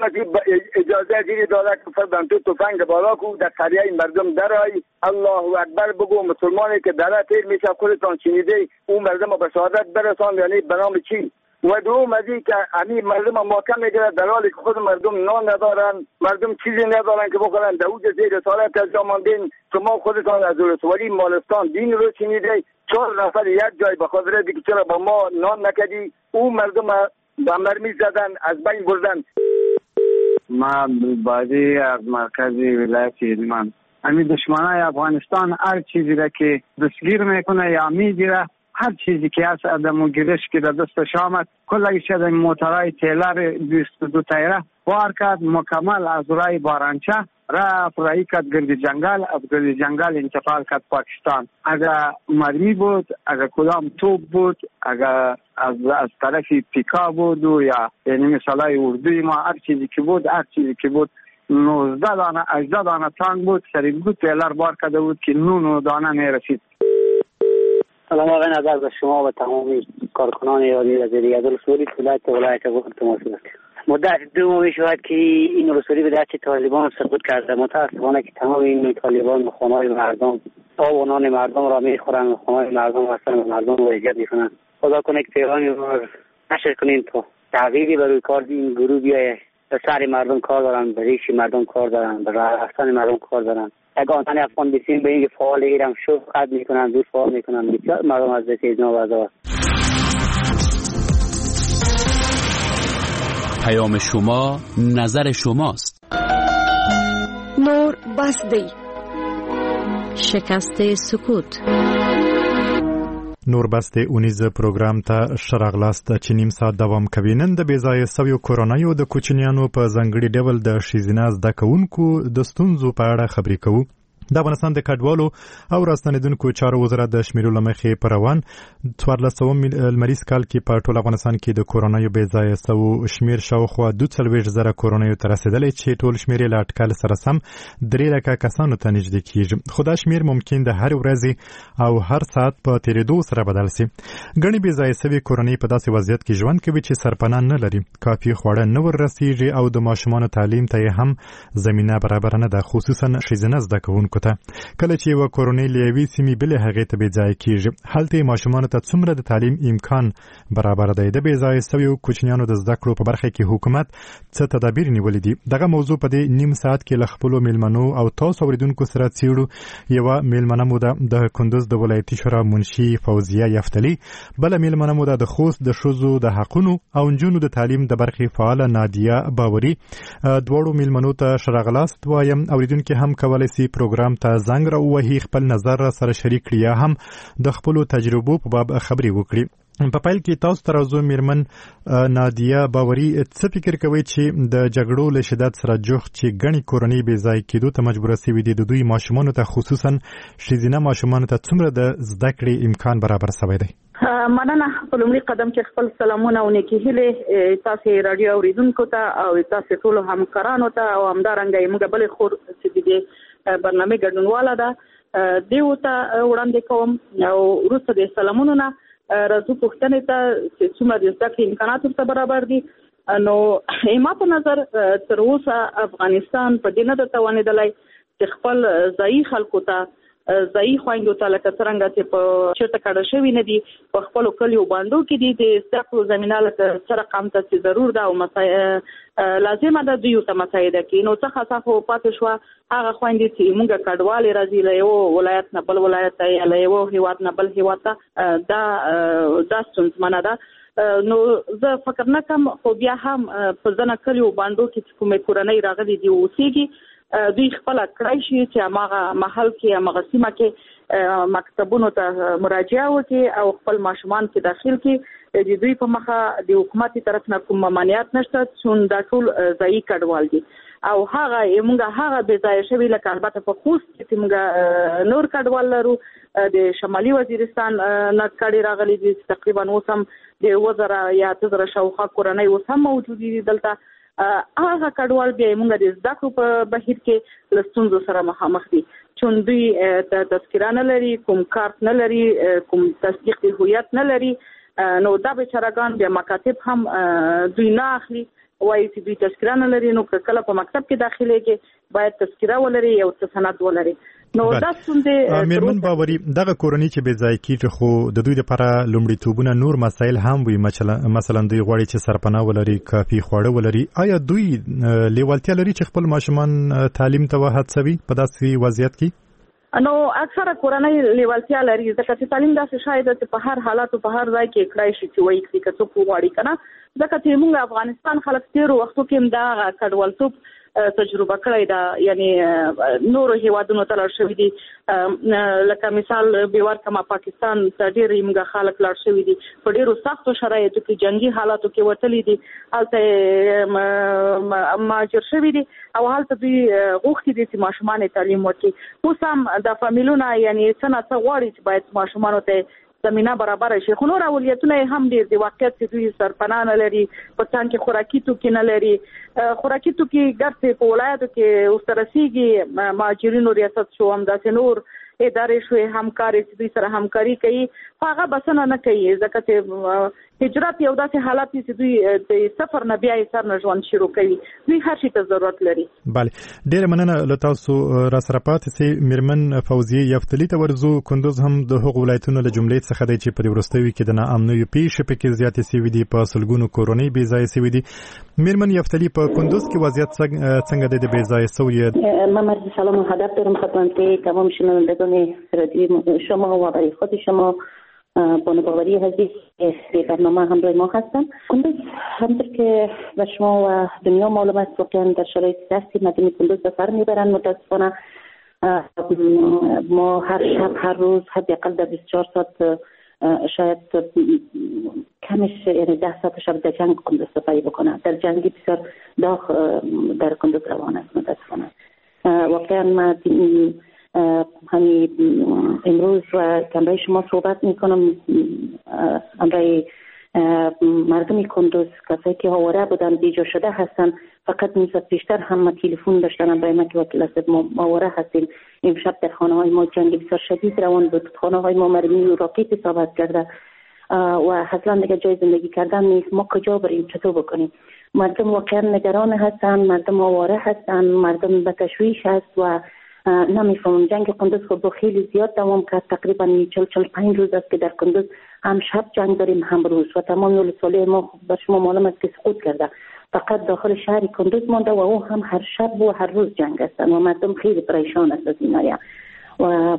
اجازه زیری داده که فرزن تو تفنگ بالا کو در قریه مردم درای الله اکبر بگو، مسلمانی که دره تیر میشه خودتان شنیده اون مردم به شهادت برسان، یعنی به نام چی؟ و دوم از این که همین مردم ماکم میگیره در حالی که خود مردم نان ندارن، مردم چیزی ندارن که بخورن، در اوج زیر رسالت از جا ماندین. شما خودتان از ولسوالی مالستان دین رو شنیده، 4 نفر یک جای به خاطر دیگه چرا با ما نان نکردی، او مردم به مرمی زدن، از بین بردن. ما بازی از مرکز ولایت هلمند، همین دشمنای افغانستان هر چیزی را که دستگیر میکنه یا میگیره، هر چیزی که هست ادم گیرش که در دستش آمد کلش از موترهای تیلر 22 تایره بار کرد، مکمل از رای بارانچه رفت رای کرد گرد جنگل، از گرد جنگل انتقال کرد پاکستان. اگر مرمی بود، اگر کدام توپ بود، اگر از طرف پیکا بود و یا یعنی مثالای اردوی ما، هر چیزی که بود، هر چیزی که بود 19 دانه 18 دانه تانک بود، سری دو تیلر بار کرده بود که 9 دانه میرسید. سلام آقای نظر به شما و تمامی کارکنان رادیو آزادی. از رسولی ولایت غور تماس گرفت. مدت 2 ماه میشود که این رسولی به دست طالبان سقوط کرده. متاسفانه که تمام این طالبان خانه‌های مردم، آب و نان مردم را میخورند، خانه‌های مردم هستند و مردم را اذیت میکنند. خدا کنه که پیغامی را نشر کنیم تا تغییری بر روی کار این گروه بیاید. به سر مردم کار دارن، به ریش مردم کار دارن، به رفتن مردم کار دارن. اگه آنتن افغان بسیم به اینکه فعال ایران شد قد میکنن، دور فعال میکنن، بسیار مردم از دست اینا وضع. پیام شما نظر شماست. بس دی. شکست سکوت. نور بس د اونیز پروګرام ته ښه راغلاست چې نیم ساعت دوام کوي. نن د بې ځایه سویو کورنیو د کوچنیانو په ځانګړي ډول د ښځینه زده کوونکو د ستونزو په اړه خبرې کوو. د افغانستان د کډوالو او راستنېدونکو چارو وزارت د شمیرو له مخې په روان 14 لمریز کال کې په ټول افغانستان کې د کورنیو بې ځایه سوو شمیر شاوخوا 42,000 کورنیو ته رسېدلی چې ټول شمیر یې له اټکل سره سم 3 لکه کسانو ته نږدې کیږي. خو دا شمیر ممکن د هرې ورځې او هر ساعت په تېرېدو سره بدل سي. ګڼې بې ځایه سوې کورنۍ په داسې وضعیت کې ژوند کوي چې سرپناه نه لري، کافي خواړه نه ور رسیږي او د ماشومانو تعلیم ته یې هم زمینه برابره نه ده، خصوصا ښځینه زده کوونکو ته. کله چې یوه کورنۍ له یوې سیمې بلې هغې ته بې ځایه کیږي، هلته یې ماشومانو ته څومره د تعلیم امکان برابر دی؟ د بې ځایه سویو کوچنیانو د زده کړو په برخه کې حکومت څه تدابیر نیولي دي؟ دغه موضوع په دې نیم ساعت کې له خپلو میلمنو او تاسو اورېدونکو سره څېړو. یوه میلمنه مو ده د کندوز د ولایتي شورا منشي فوزیه یفتلي، بله میلمنه مو ده د خوست د ښځو د حقونو او نجونو د تعلیم د برخې فعاله نادیه باوري. دواړو میلمنو ته ښه راغلاست وایم. اورېدونکي هم کولی سي پروګرام ته زنګ راووهي، خپل نظر را سره شریک کړي یا هم د خپلو تجربو په باب خبرې وکړي. په پیل کې تاسو ته راځو. میرمن نادیه باوري، څه فکر کوئ چې د جګړو له شدت سره جوخت چې ګڼې کورنۍ بې ځایه کېدو ته مجبوره سوي دي، د دوی ماشومانو ته خصوصا ښځینه ماشومانو ته څومره د زده کړې امکان برابر سوی دی؟ مننه. په لومړي قدم کې خپل سلامونه او نیکې هیلې تاسو راډیو اورېدونکو ته او تاسو ټولو همکارانو ته او همدارنګه یې موږ بلې خور چې د دې برنامې ګډونواله ده دیو ته وړاندې کوم. او وروسته د سلامونو نه راځو پوښتنې ته چې څومره د زده کړې امکانات ورته برابر دي. نو زما په نظر تر اوسه افغانستان په دې نه ده توانېدلی چې خپل ځایي خلکو ته، ځایي خویندو ته لکه څرنګه چې په چېرته کډه شوي نه دي، په خپلو کلیو بانډو کې دي، د زده کړو زمینه لکه څه رقم ته چې ضرور ده او لازمه ده دوی ورته مساعده کړي. نو څه خاصه خو پاتې شوه هغه خویندې چې موږ کډوالې راځي له یو ولایت نه بل ولایت ته یا له یو هیواد نه بل هیواد ته، دا ستونزمنه ده. نو زه فکر نه کوم، خو بیا هم په ځینو کلیو بانډو کې چې کومې کورنۍ راغلي دي اوسېږي، دوی خپله کړای شي چې هماغه محل کې هماغه سیمه کې مکتبونو ته مراجعه وکړي او خپل ماشومان کې داخل کړي. د دوی په مخه د حکومت طرف نه کوم ممانعت نشته، چون دا ټول ځایي کډوال دي. او هغه موږ هغه بې ځایه شوي لکه البته په خوست کې چې موږ نور کډوال لرو، د شمالي وزیرستان نه کډې راغلي دي چې تقریبا اوس هم د 7,000 یا 8,000 شاوخوا کورنۍ اوس هم موجودې دي دلته. هغه کډوال بیا موږ د زده کړو په بهیر کې له ستونزو سره مخامخ دي، چون دوی تذکره نه لري، کوم کارت نه لري، کوم تصدیق د هویت نه لري. نو دا بیچارهګان بیا مکاتب هم دوی نه اخلي، وایي چې دوی تذکره نه لري. نو که کله په مکتب کې داخلېږي باید تذکره ولري، یو څه سند ولري. نو دا ستونزې. میرمن باوري، دغه کورنۍ چې بې ځایه کیږي خو د دوی لپاره لومړیتوبونه نور مسایل هم وي، مثلا دوی غواړي چې سرپناه ولري، کافي خواړه ولري. آیا دوی لیوالتیا لري چې خپل ماشومان تعلیم ته وهڅوي په داسې وضعیت کې؟ نو اکثره کورنۍ لیوالتیا لري، ځکه چې تعلیم داسې شی ده چې په هر حالت او په هر ځای کې کړای شي چې وایي کړي که څوک وغواړي که نه. ځکه چې موږ افغانستان خلک تېرو وختو کې هم دا کډوالتوب تجربه کړی ده، یعنی نورو هیوادونو ته لاړ شوي دي. لکه مثال به ورکړم، پاکستان ته ډېر موږ خلک لاړ شوي دي، په ډېرو سختو شرایطو کې، جنګي حالاتو کې وتلي دي، هلته مهاجر شوي دي او هلته دوی غوښتي دي چې ماشومان یې تعلیم ورکړي. اوس هم دا فامیلونه یعنی څه نا څه غواړي چې باید ماشومانو ته زمینه برابره شي، خو نور اولویتونه یې هم ډېر دي. واقعیت چې دوی سرپناه نه لري، په څنګ کې خوراکي توکي نه لري. خوراکي توکي ګرځي په ولایاتو کې اوس ته رسېږي، مهاجرینو ریاست شو، همداسې نور ادارې شوې همکارې چې دوی سره همکاري کوي، خو هغه بسنه نه کوي، ځکه چې هجرت یو داسې حالت دی چې دوی د سفر نه بیا یې سر نه ژوند شروع کوي، دوی هر شي ته ضرورت لري. بله، ډېره مننه له تاسو را سره پاتې سئ. میرمن فوزیه یفتلي ته ورځو. کندوز هم د هغو ولایتونو له جملې څخه دی چې په دې وروستیو کې د ناامنیو پېښې پکې زیاتې سوي دي، په سلګونو کورنۍ بې ځایه سوي دي. میرمن یفتلي، په کندوز کې وضعیت څنګه دی د بې ځایه سویو؟ من عرض سلام و هدف دارم خدمت تمام شنوندگان رادیو شما و برای خود شما بانو باوری عزیز برنامه همراه ما هستن. کندوز همطور که به شما و دنیا معلوم است واقعا در شرایط سختی مردم کندوز به سر میبرند. متاسفانه ما هر شب هر روز حداقل در 24 ساعت شاید کمش یعنی 10 ساعت شب در جنگ کندوز سپری بکنه. در جنگی بسیار داغ در کندوز روان است متاسفانه. واقعا ما همین امروز و همراه شما صحبت میکنم، همراه مردم کندوز کسایی که آواره بودن بیجا شده هستن. فقط نیم ساعت پیشتر هم ما تلفن داشتن برای ما که وکیل صاحب ما آواره هستیم، امشب در خانه های ما جنگ بسیار شدید روان بود، خانه های ما مرمی و راکت اصابت کرده و اصلا دیگه جای زندگی کردن نیست، ما کجا بریم، چطور بکنیم؟ مردم واقعا نگران هستن، مردم آواره هستن، مردم به تشویش هست و نمیفهمم. جنگ قندوز خب خیلی زیاد دوام کرد، تقریبا 40-45 روز است که در قندوز هم شب جنگ داریم هم روز و تمام ولسوالی ما بر شما معلوم است که سقوط کرده، فقط داخل شهر قندوز مانده و او هم هر شب و هر روز جنگ هستن و مردم خیلی پریشان است از این. و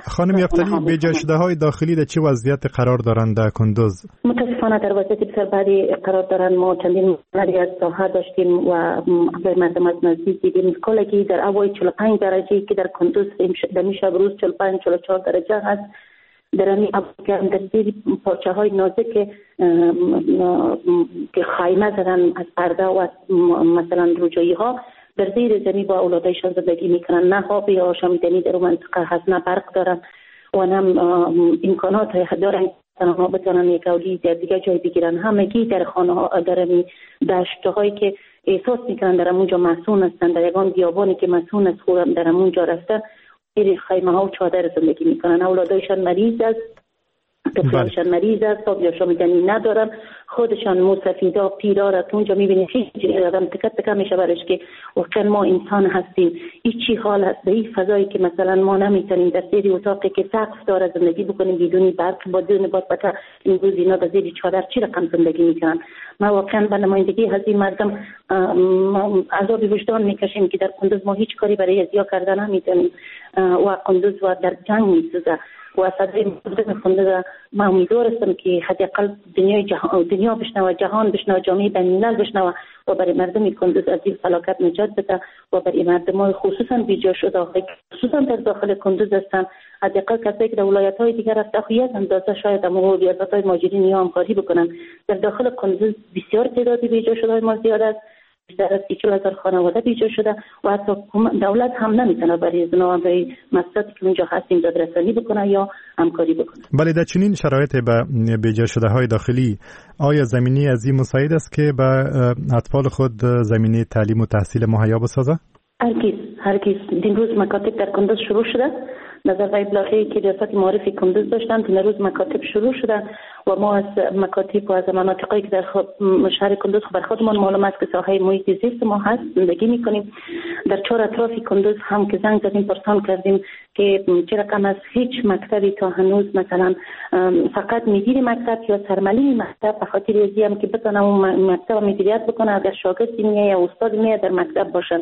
خانم یفتلی، بیجا شده های داخلی در چه وضعیت قرار دارند در کندوز؟ متاسفانه در وضعیت بسیار بدی قرار دارند. ما چندین مردی از ساحه داشتیم و مردم از نزدیک دیدیم کلگی در هوای 45 درجه که در کندوز در شب روز 45-44 درجه هست، در همین در زیر پارچه های نازک که خیمه زدن از پرده و از مثلا روجایی ها در زیر زمین با اولادایشان زندگی میکنن. نه آب آشامیدنی در منطقه هست، نه برق دارن و نه امکانات دارن آنها بتونن یک اولی در دیگه جای بگیرن. همگی در خانه ها در دشت هایی که احساس میکنن در اونجا مسون هستن، در یگان بیابانی که مسون است خودم در اونجا رفته زیر خیمه ها و چادر زندگی میکنن. اولادایشان مریض است، طفلانشان مریض است، آب آشامیدنی ندارن، خودشان موسفیدا پیرا را اونجا میبینی خیلی آدم تکه تکه میشه برش که واقعا ما انسان هستیم، این چی حال هست به این فضایی که مثلا ما نمیتونیم در زیر اتاقی که سقف داره زندگی بکنیم بدون برق با دون بادبکه. امروز اینا در زیر چادر چی رقم زندگی میکنن؟ ما واقعا به نمایندگی از این مردم عذاب وجدان میکشیم که در قندوز ما هیچ کاری برای ازیا کردن نمیتونیم و قندوز و در جنگ میسوزه و صدای مردم قندوز. ما امیدوار هستم که حداقل دنیا بشنوه، جهان بشنوه، جامعه بین‌الملل بشنوه و برای مردم قندوز از این فلاکت نجات بده و برای مردم خصوصا بیجا شده خصوصا در داخل قندوز هستن، حداقل کسایی که در ولایت های دیگر هستن یک اندازه شاید هم ریاست های مهاجرین یا همکاری بکنن. در داخل قندوز بسیار تعداد بیجا شده ما زیاد است، بیشتر از 40,000 خانواده بیجا شده و حتی دولت هم نمیتونه برای از اونا برای مسائلی که اونجا هستیم دادرسانی بکنه یا همکاری بکنه. بله، در چنین شرایط به بیجا شده های داخلی آیا زمینی از این مساعد است که به اطفال خود زمینه تعلیم و تحصیل مهیا بسازه؟ هرگز. دیروز مکاتب در کندوز شروع شده. نظر به ابلاغی که ریاست معارف کندوز داشتند دیروز مکاتب شروع شده و ما از مکاتب و از مناطقی که در شهر کندوز بر خودمان معلوم است که ساحه محیط زیست ما هست زندگی میکنیم. در چهار اطراف کندوز هم که زنگ زدیم پرسان کردیم که چه رقم از هیچ مکتبی تا هنوز مثلا فقط مدیر مکتب یا سرمعلم مکتب به خاطر ازی هم که بتونه اون مکتب مدیریت بکنه اگر شاگردی میه یا استاد میه در مکتب باشن.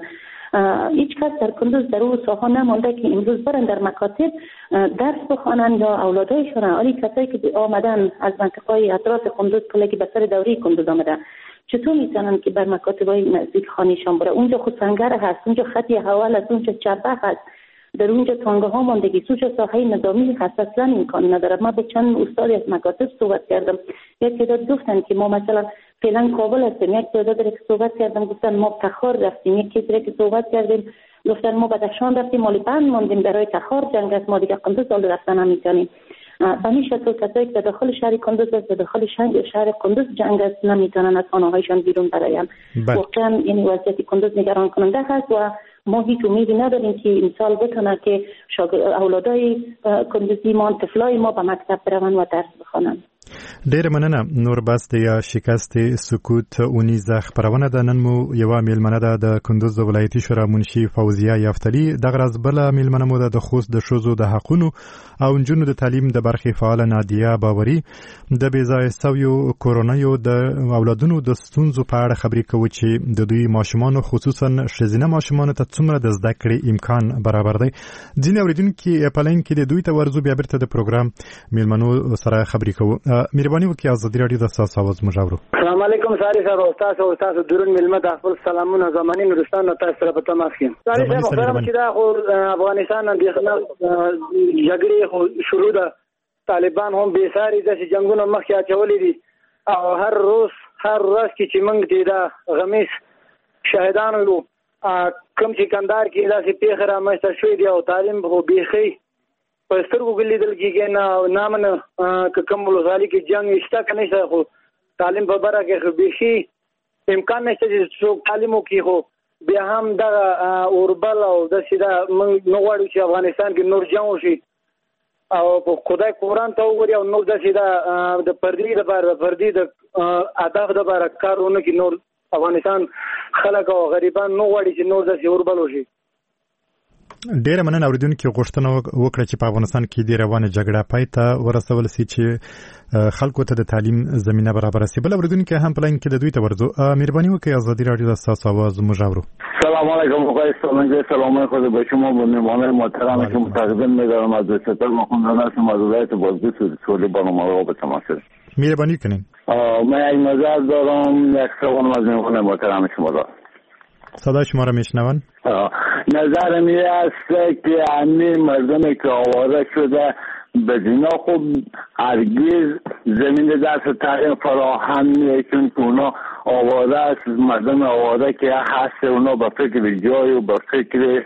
هیچ کس در کندوز در اون ساحه نمانده که امروز برن در مکاتب درس بخوانن یا اولادایشون. ولی کسایی که آمدن از منطقه‌های اطراف کندوز کلگی به سر دوری کندوز آمدن چطور میتونن که بر مکاتب‌های نزدیک خانه‌شان بره؟ اونجا خود سنگر هست، اونجا خطی حوال است، اونجا چبه هست، در اونجا تانگه ها ماندگی، اونجا ساحه نظامی هست، اصلا امکان نداره. ما با چند استاد از مکاتب صحبت کردم، یک تعداد گفتن که ما مثلا فعلا کابل هستیم، یک تعداد را که صحبت کردم گفتن ما تخار رفتیم، یک کسی را که صحبت کردیم گفتن ما بدخشان رفتیم، مالی بند ماندیم برای تخار جنگ است، ما دیگه قندوز حال رفتن نمیتونیم. به این شکل کسایی که در داخل شهر کندوز است، در داخل شهر کندوز جنگ است، نمیتونن از خانه‌هایشان بیرون برایم. واقعا یعنی وضعیت کندوز نگران کننده هست و ما هیچ امیدی نداریم که امسال بتونه که اولادای کندوزی ما، طفلای ما به مکتب بروند و درس بخوانند. ډیره مننه. نور بس د یا شکست سکوت اونیزه خپرونه ده. نن مو یوه میلمنه ده د کندوز د ولایتي شورا منشي فوزیه یفتلي، دغه راز بله میلمنه مو ده د خوست د ښځو د حقونو او نجونو د تعلیم د برخې فعاله نادیه باوري. د بې ځایه سویو کورنیو د اولادونو د ستونزو په اړه خبرې کوو چې د دوی ماشومانو خصوصا ښځینه ماشومانو ته څومره د زده کړې امکان برابر دی. ځینې اورېدونکي په لاین کې د دوی ته ورځو، بیا بیرته د پروګرام میلمنو سره خبرې کوو. مهرباني وکړئ ازادي راډیو د ستاسو اواز موږ اورو. السلام علیکم ساري صاحب، او تاسو درون میلمه د خپل سلامونه زماني نورستان نه تاسو سره په تماس کې. ساري صاحب محترم، چې دا خو افغانستان اندېښنه جګړې خو شروع ده، طالبان هم بې ساري داسې جنګونه مخکې اچولي دي او هر روز هر ورځ کې چې موږ دې دا غمیز شاهدان یو، کوم چې کندهار کې داسې پېښه رامنځته شوې دي او تعلیم خو بیخي په سترګو کې لیدل کېږي نه نه منه که کوم ولسوالي کې جنګ شته که نشته، خو تعلیم په برخه کې خو بیخي امکان نشته چې څوک تعلیم وکړي. خو بیا هم دغه اوربل او داسې دا موږ نه غواړو چې افغانستان کې نور جنګ وشي او په خدای قرآن ته وګوري او نور داسې دا د پردي دپاره د پردي د هدف دپاره کار ونه کړي. نور افغانستان خلک او غریبان نه غواړي چې نور داسې اوربل وشي. ډیره مننه. اوریدونکو غوښتنه وکړه چې په افغانستان کې د روانه جګړه پای ته ورسول سي چې خلکو ته د تعلیم زمينه برابره سي. بل اوریدونکو هم په لاین کې د دوی ته ورځو. مهرباني وکړئ ازادي راډیو د ستاسو اواز موږ اورو. سلام علیکم آقای سالنگی، سلام خود به شما و میهمانان محترم که متقدم می‌دارم. از ستاد مخوندان هستم از ولایت بادغیس سولی برنامه به تماس. مهربانی کنین. من یک نظر دارم، یک سوال از میهمان محترم شما دارم. صدای شما را میشنون؟ نظرم این است که همه مردم که آواره شده به دینا خب هرگز زمین درس تعلیم فراهم نیست، چون که اونا آواره است. مردم آواره که هست اونا به فکر جای و به فکر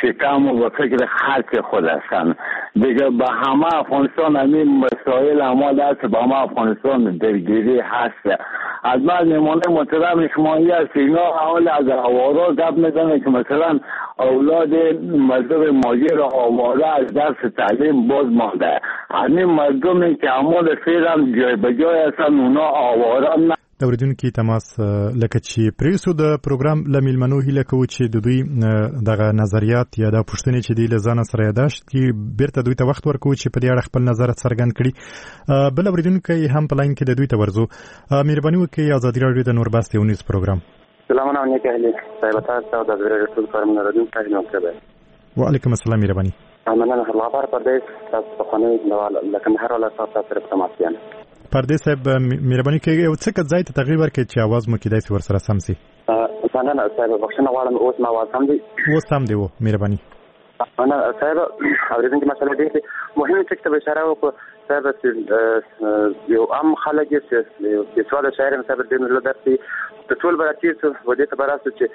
شکم و به فکر خرچ خود هستن دیگه. به همه افغانستان همین مسائل همه دست به همه افغانستان درگیری هست. از من نمونه محترم شما است اینا حال از آواره گپ میزنه که مثلا اولاد مردم ماجر آواره از درس تعلیم باز مانده. همین مردمی که عمال فعلا جای به جای هستن اونا آواره نه. د اوریدونکو تماس لکه چې پریسو د پروګرام له میلمنو هیله کوو چې د دوی دغه نظریات یا د پوښتنې چې دی له ځانه سره یاداشت کړي، بیرته دوی ته وخت ورکوو چې په دې اړه خپل نظر څرګند کړي. بل اوریدونکی هم په لاین کې د دوی ته ورځو. مهرباني وکړئ ازادي راډیو د نور بس د اونیز پروګرام. سلامونه نیک اهلي صاحب، تاسو د ازادي راډیو ټول کارمندان راډیو ته نوکر. وعلیکم السلام. مهرباني. مننه الله بار پردیس تاسو په خونه له کندهار ولایت تاسو سره په تماس یم. پردیس صاحب مهرباني کوي یو څه که ځای ته تغییر ورکړئ چې اواز مو کېدای سي ورسره سم سي. مننه صاحب، بخښنه غواړم اوس ما اواز سم دی؟ اوس سم دی و، مهرباني. مننه صاحب. اورېدونکي مسله ډېر مهمه ټکي ته اشاره وکړه صاحب، چې یو عام خلک یې چې بېسواده شاعر یم صاحب، ډېر له درس د ټول به راتېر شو و دې ته به راسو چې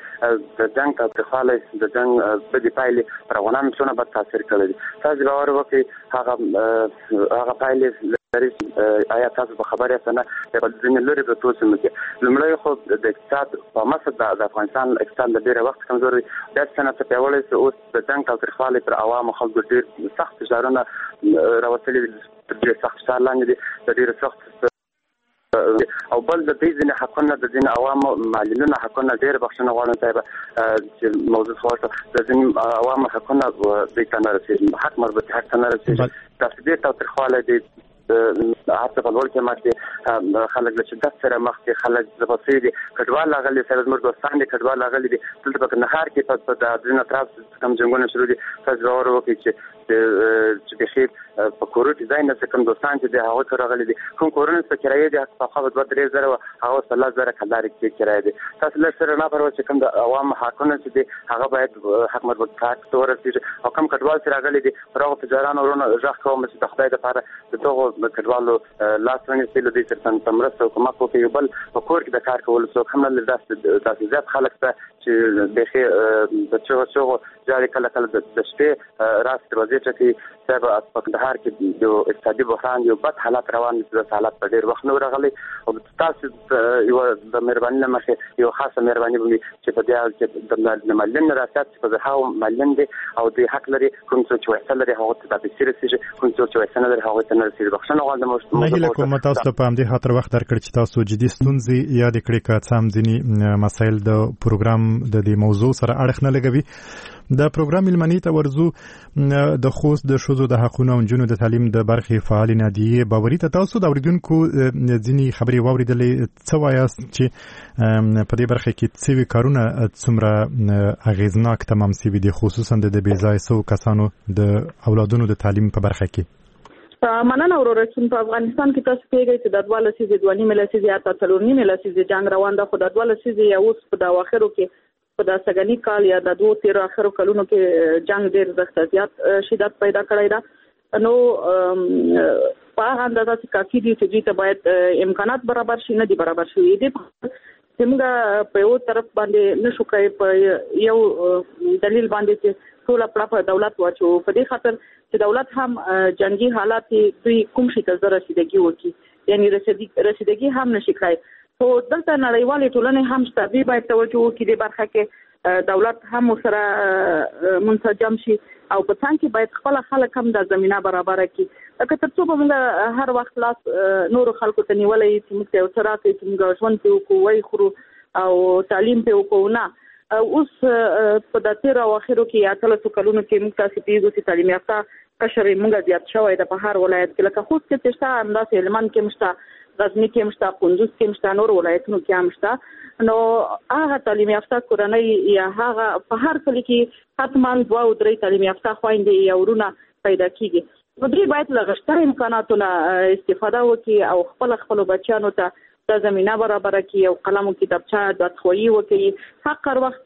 د جنګ تاوتریخوالی، د جنګ بدې پایلې پر افغانانو څونه بد تاثیر کړی دی. تاسو باور وکړئ هغه پایلې لري. آیا تاسو به خبر یاست نه؟ په ځینې لرې پرتو سیمو کې لومړی خو د اقتصاد په مسه د افغانستان اقتصاد له ډېره وخت کمزوری دی، داسې څه نه څه پیاوړی شو. اوس د جنګ تاوتریخوالی پر عوامو خلکو ډېر سخت فشارونه راوستلي دي، تر ډېر سخت فشار لاندې دي، د ډېرو سخت او بل د دوی ځینې حقونه، د ځینې عوامو معلولینو حقونه، ډېر بخښنه غواړم صاحب چې موضوع څخه ورته، د ځینې عوامو حقونه دوی ته نه رسېږي، حق مربوط حق ته نه رسېږي. داسې ډېر تاوتریخوالی دی، هر څه په لوړ قیمت دي، خلک له شدت سره مخ دي، خلک ځپل شوي دي، کډوال راغلي سره زموږ دوستان دي، کډوال راغلي دي. دلته په کندهار کې په د ځینو اطراف کوم جنګونه شروع دي، تاسو باور وکړئ چې بیخي په کورو کې ځای نشته. کوم دوستان چې دي هغوی ته راغلي دي، کوم کورونه چې په کرایې دي پخوا به 2-3 زره وه، هغه اوس په 10 زره کلدارې کې کرایه دي. تاسو لږ سره نه پروا چې کوم د عوامو حقونه چې دي هغه باید حق مربوط حق ته ورسېږي. او کوم کډوال چې راغلي دي پر هغو تجارانو وروڼو غږ کوم چې د خدای دپاره د دغو کډوالو لاس ونیسي، له دوی سره په مرسته او کومک وکړي. یو بل په کور کې د کار کولو څوک هم نه لري، داسې زیات خلک شته چې بیخي د چغو چغو جاري کله کله د شپې راس دروازې ټکوي. صاحب په کندهار ښار کې یو اقتصادي بحران، یو بد حالت روان دی چې داسې حالت په ډېر وخت نه و راغلی. او تاسو یوه د مهرباني له مخې یو خاصه مهرباني به وي چې په دې حال کې د معلم ریاست چې په زرهاو معلم دی او دوی حق لري، کوم څوک چې ویسه لري هغه ته دا پیسې رسېږي، کوم څوک چې ویسه نه لري هغه ته نه رسېږي. بخښنه غواړم. نه هیله کوم تاسو ته په همدې خاطر وخت درکړ چې تاسو جدي ستونزې یادې کړې، که څه هم ځینې مسایل د پروګرام د دې موضوع سره اړخ نه لګوي. د پروګرام میلمنې ته ورځو، د خوست د ښځو د حقونو او نجونو د تعلیم د برخې فعالې نادیې باوري ته. تاسو د اورېدونکو ځینې خبرې واورېدلې، څه وایاست چې په دې برخه کې څه کارونه څومره اغېزناک تمام سوي دي، خصوصا د بې ځایه سوو کسانو د اولادونو د تعلیم په برخه کې؟ مننه وروره. چې په افغانستان کې تاسو پوهیږئ چې د 2 لسیزې، 2.5 لسیزې، حتی 4.5 لسیزې جنګ روان ده، خو د 2 لسیزې یا اوس په د اواخرو کې، په د سږني کال یا د 2 تېرو اخرو کلونو کې جنګ ډېر زښت زیات شدت پیدا کړی ده. نو په هغه اندازه چې کافي دي چې دوی ته باید امکانات برابر شي، نه دي برابر شوي دي. چې موږ په یو طرف باندې نشو کړای په یو دلیل باندې چې ټوله پړه په دولت واچو، په دې خاطر چې دولت هم جنگي حالات دوی کوم شي ته زه رسیدګي وکړي، یعنی رسیدګي هم نشي کړای. خو دلته نړیوالې ټولنې هم شته، دوی باید توجه وکړي دې برخه کې، دولت هم ورسره منسجم شي او په څنګ کې باید خپله خلک هم دا زمینه برابره کړي. لکه تر څو به موږ هر وخت لاس نورو خلکو ته نیولی چې موږ ته یو څه راکړي چې موږ ژوند پرې وکړو، ویې خورو او تعلیم پرې وکړو، نه. اوس په د تېرو اواخرو کې یا 18 کلونو کې موږ تاسې پوهېږو چې تعلیم یافته قشر موږ زیات شوی ده په هر ولایت کې، لکه خوست کې چې شته، همداسې هلمند کې هم شته، غزني کې هم شته، کندوز کې هم شته، نور ولایتونو کې هم شته. نو هغه تعلیم یافته کورنۍ یا هغه په هر کلي کې حتما 2 او 3 تعلیم یافته خویندې یا ورونه پیدا کېږي. نو دوی باید له غشتر امکاناتو نه استفاده وکړي او خپل خپلو بچیانو ته دا زمینه برابره کړي او قلم او کتابچه دادخواهي وکړي. حق هر وخت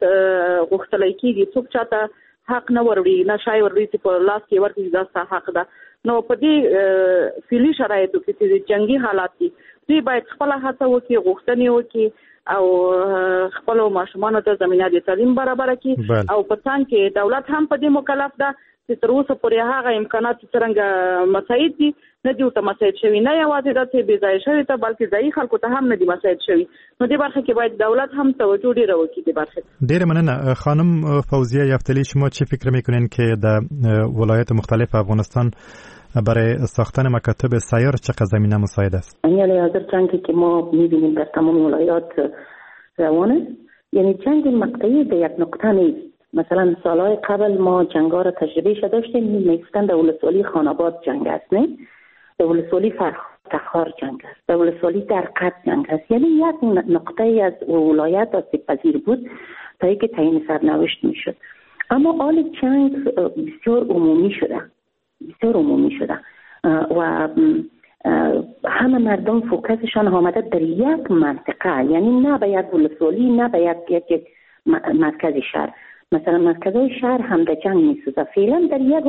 غوښتلی کېږي، څوک چاته حق نه وروړي، نه شی وروړي چې په لاس کې ورکړي دا ستا حق ده. نو په دې فعلي شرایطو کې چې جنګي حالات دي، دوی باید خپله هڅه وکړي، غوښتنې وکړي او خپلو ماشومانو ته زمینه د تعلیم برابره کړي. او په څنګ کې دولت هم په دې مکلف ده چې تر اوسه پورې هغه امکانات چې څرنګه مساعد دي نه دي ورته مساعد شوي، نه یوازې دا چې بې ځایه شوي ته، بلکې ځایي خلکو ته هم نه دي مساعد شوي. نو دې برخه کې باید دولت هم توجه ډېره وکړي دې برخې ته. ډېره مننه. خانم فوزیه یفتلی، شما چی فکر میکنین که در ولایت مختلف افغانستان برای ساختن مکاتب سیار چقدر زمینه مساعد است؟ یعنی حاضر جنگی که ما میبینیم در تمام ولایات روان است، یعنی جنگ مقطعی در یک نقطه نیست. مثلا سالهای قبل ما جنگ‌ها را تجربه شده داشتیم، میگفتن در ولسوالی خانآباد جنگ است، نه در ولسوالی تخار جنگ است، در ولسوالی درقد جنگ است. یعنی یک نقطه از ولایت آسیب پذیر بود تا اینکه تعیین سرنوشت میشد. اما حال جنگ بسیار عمومی شده، بسیار عمومی شده و همه مردم فوکسشان آمده در یک منطقه، یعنی نه به یک ولسوالی، نه به یک مرکز شهر. مثلا مرکزهای شهر هم در جنگ میسوزه. فعلا در یک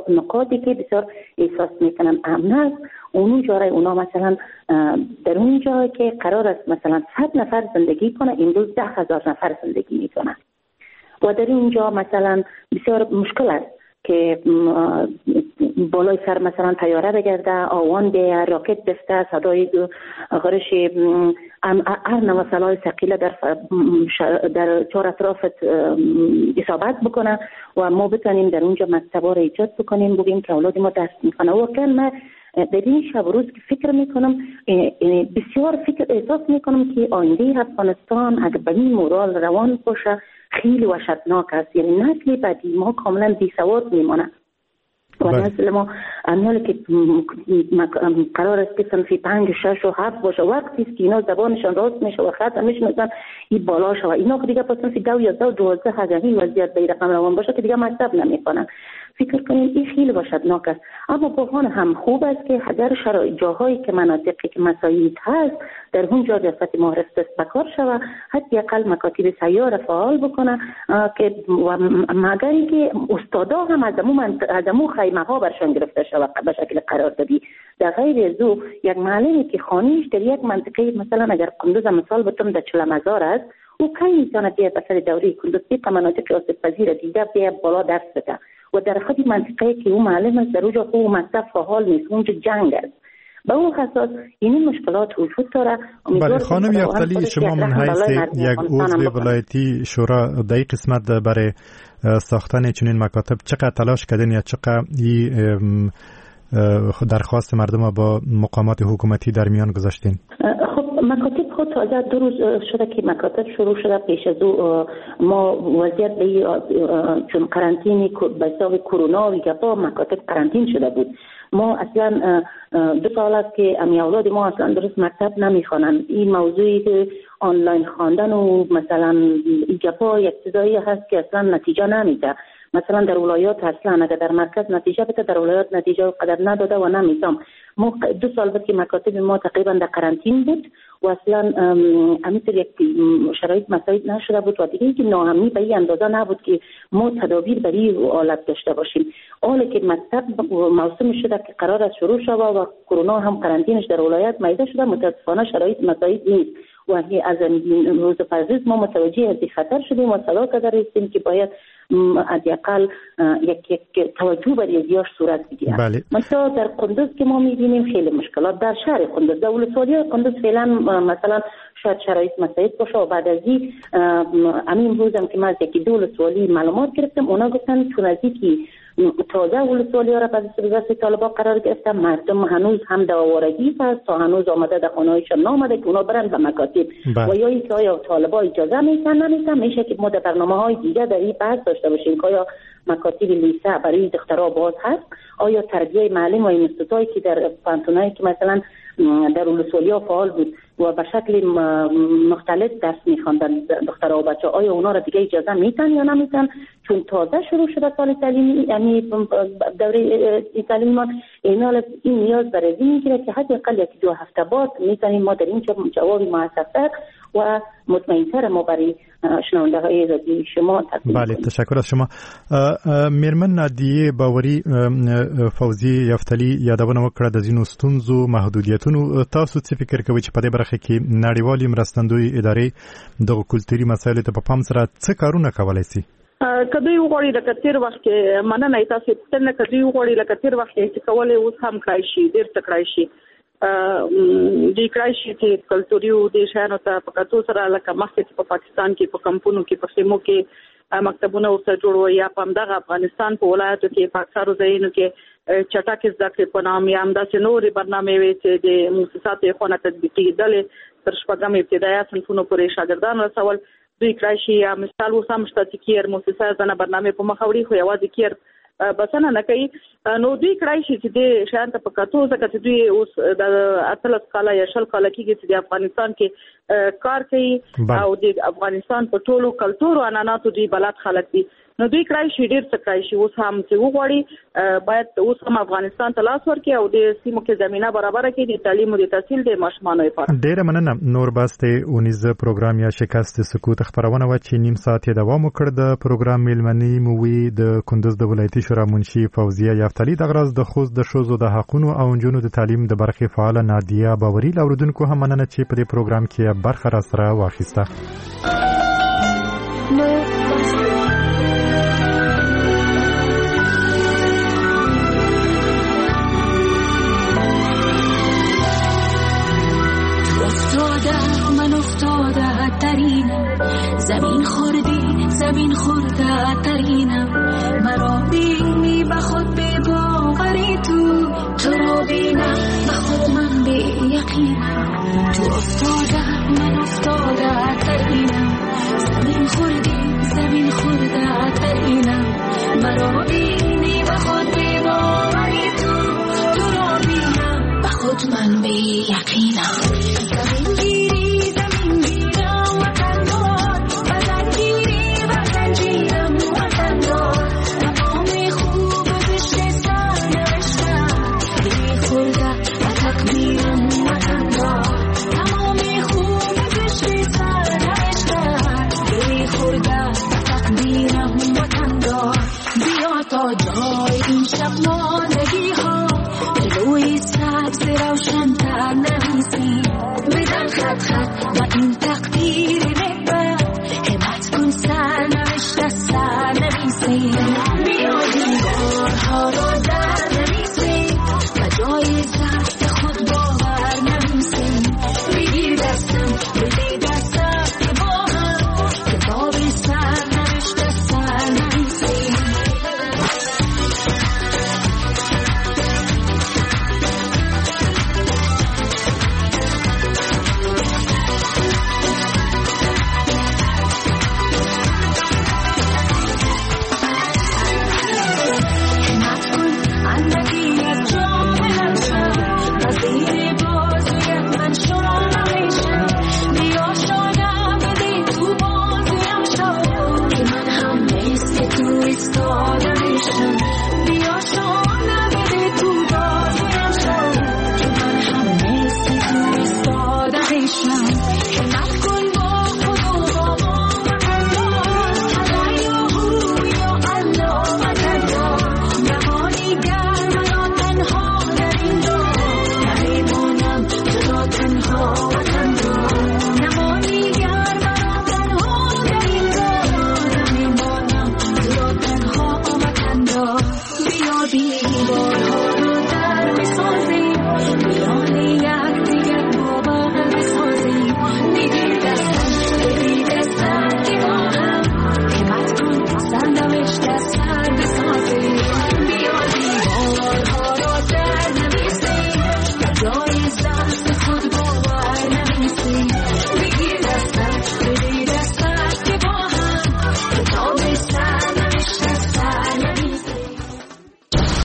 نقاطی که بسیار احساس میکنن امن است، اونو جای اونا مثلا در اون جایی که قرار است مثلا 100 نفر زندگی کنه، امروز 10,000 نفر زندگی میکنه و در اینجا مثلا بسیار مشکل است که بالای سر مثلا طیاره بگرده، آوان بیه، راکت بفته، صدای غرش هر نوع سلاح ثقیله در چهار اطراف اصابت بکنه و ما بتونیم در اونجا مکتبا را ایجاد بکنیم، بگیم که اولاد ما درس میکنه. واقعا من در این شب روز که فکر میکنم، بسیار فکر احساس میکنم که آینده افغانستان اگر به این مورال روان باشه خیلی وحشتناک است. یعنی نسل بعدی ما کاملا بی سواد میمانه و نسل ما امیال که قرار است که صنف 5 و 6 و 7 باشه، وقتی است که اینا زبانشان راست میشه و خط میشناسن این بالا شوه، اینا دیگه پس صنف 2 یا 12 اگر این وضعیت به رقم روان باشه که دیگه مکتب نمیکنن. فکر کنیم این خیلی وحشتناک است. اما بحران هم خوب است که اگر شرایط جاهایی که مناطقی که مساعد هست در اونجا ریاست معارف دست به کار شوه، حداقل مکاتب سیار فعال بکنه که و مگر اینکه استادا هم از امو خیمه ها برشان گرفته شوه به شکل قراردادی. در غیر از او یک معلمی که خانیش در یک منطقه مثلا اگر قندوز مثال بتم در چلمزار است، او کی میتونه بیاد به سر دوره کندوز طبق مناطق آسیب پذیر دیده بیاد بالا درس بده؟ و در خود منطقه که او معلم است در اونجا او مکتب فعال نیست، اونجا جنگ است. به او اساس این مشکلات وجود داره. بله خانم یفتلی، شما من حیث یک عضو ولایتی شورا در این قسمت برای ساختن چنین مکاتب چقدر تلاش کردین یا چقدر این درخواست مردم با مقامات حکومتی در میان گذاشتین؟ خب مکاتب خود تازه 2 روز شده که مکاتب شروع شده. پیش از او ما وضعیت به چون قرنطینه به حساب کرونا و گپا مکاتب قرنطین شده بود. ما اصلا 2 سال است که امی اولاد ما اصلا درست مکتب نمیخوانند. این موضوعی که آنلاین خواندن و مثلا این گپا یک چیزایی هست که اصلا نتیجه نمیده. مثلا در ولایات اصلا اگر در مرکز نتیجه بده، در ولایات نتیجه قدر نداده و نمیتام. ما 2 سال بود که مکاتب ما تقریبا در قرنطین بود و اصلا همینطور یک شرایط مساعد نشده بود و دیگه اینکه ناامنی به این اندازه نبود که ما تدابیر برای آلت داشته باشیم. حالا که مکتب موسم شده که قرار است شروع شود و کرونا هم قرنطینش در ولایت میده شده، متاسفانه شرایط مساعد نیست و از روز پس ما متوجه از این خطر شدیم و صدا کرده هستیم که باید حداقل یک توجه برای زیاش صورت بگیره. بله. مثلا در قندوز که ما می‌بینیم خیلی مشکلات در شهر قندوز، در ولسوالی قندوز فعلا مثلا شاید شرایط مساعد باشه و بعد از این همین روزم که من از یکی دو ولسوالی معلومات گرفتم، اونا گفتن چون از اینکه تازه ولسوالی ها را به دست طالبا قرار گرفتن، مردم هنوز هم در آوارگی هست تا هنوز آمده در خانه‌هایشان نامده که اونا برن به مکاتب. و یا اینکه آیا طالبا اجازه میتن نمیتن، میشه که ما در برنامه‌های دیگه در این بحث داشته باشیم که آیا مکاتب لیسه برای دخترها باز هست، آیا تربیه معلم و اینستیتوتایی که در پانتونایی که مثلا در ولسوالی‌ها فعال بود و به شکل مختلف درس می‌خواندن دخترها و بچه‌ها، آیا اونا را دیگه اجازه میتن یا نمیتن؟ چون تازه شروع شده سال تعلیمی، یعنی دوره تعلیمی ما، این نیاز برای این میگیره که حداقل 1-2 هفته بعد میتونیم ما در اینجا جواب موثق‌تر و مطمئن‌تر ما برای شنونده های رادیوی شما تقدیم. بله تشکر از شما. میرمن نادیه باوري فوزي یفتلی یادونه وکړه د ځینو ستونزو محدودیتونو. تاسو څه فکر کوئ چې په دې برخه کې نړیوالې مرستندوی ادارې دغه کلتوري مسایلو ته په پام سره څه کارونه کولای شي؟ که دوی وغواړي لکه تېر وخت کې، مننه تاسو پوښتنه، که دوی وغواړي لکه تېر وخت کې چې کولی اوس هم کړای شي، ډېر څه کړای شي. دوی کړای شي چې کلتوري او دې شیانو ته په کتو سره لکه مخکې چې په پاکستان کې په کمپونو کې په خیمو کې مکتبونه ورته جوړ وو، یا په همدغه افغانستان په ولایاتو کې په اکثرو ځایونو کې چټکې زده کړې په نام یا همداسې نورې برنامې وې چې د موسساتو یې خونه تطبیقېدلې تر شپږم ابتدایه صنفونو پورې شاګردان رسول. دوی کړای شي. یا مثال اوس هم شته چې کیر موسسه ځنه برنامې په مخه وړي، خو یوازې کیر بسنه نه کوي. نو دوی کړای شي چې دې شیان ته په کتو، ځکه چې دوی اوس د 18 کاله یا 20 کاله کېږي چې د افغانستان کې کار کوي او د افغانستان په ټولو کلتور او عنعناتو دوی بلد خلک دي. نو دوی کړای شي ډېر څه کړای شي. اوس هم چې وغواړي باید اوس هم افغانستان ته لاس ورکړي او د سیمو کې زمینه برابره کړي د تعلیم او د تحصیل د ماشومانو لپاره. ډېره مننه. نور بس د اونیز پروګرام یا شکست سکوت خپرونه وه چې نیم ساعت یې دوام وکړ. د پروګرام میلمنې مو وې د کندوز د ولایتي شورا منشي فوزیه یفتلی، دغه راز د خوست د ښځو د حقونو او نجونو د تعلیم د برخې فعاله نادیه باوري. له اورېدونکو هم مننه چې په دې پروګرام کې برخه راسره واخیسته. زمین خوردی زمین خورده ترینم، مرا بینی به خود به باوری تو را بینم به خود من به یقینم، تو افتاده من افتاده ترینم، زمین خوردی زمین خورده ترینم، مرا بینی به خود به باوری تو را بینم به خود من به یقینم. زمین گیری زمین گیرم وطن دار، وطن گیری وطن گیرم وطن دار، مقام خوب زشت سر نوشتم بی خورده و تقدیرم وطن دار، تمام خوب زشت سر نوشتم بی خورده و تقدیرم وطن دار. بیا تا جای این شب ماندگی ها روی سبز روشن تر نویسیم، بدن خط خط و این تقدیر نکبت، همت کن سر نوشته سر نویسیم. بیا بینم.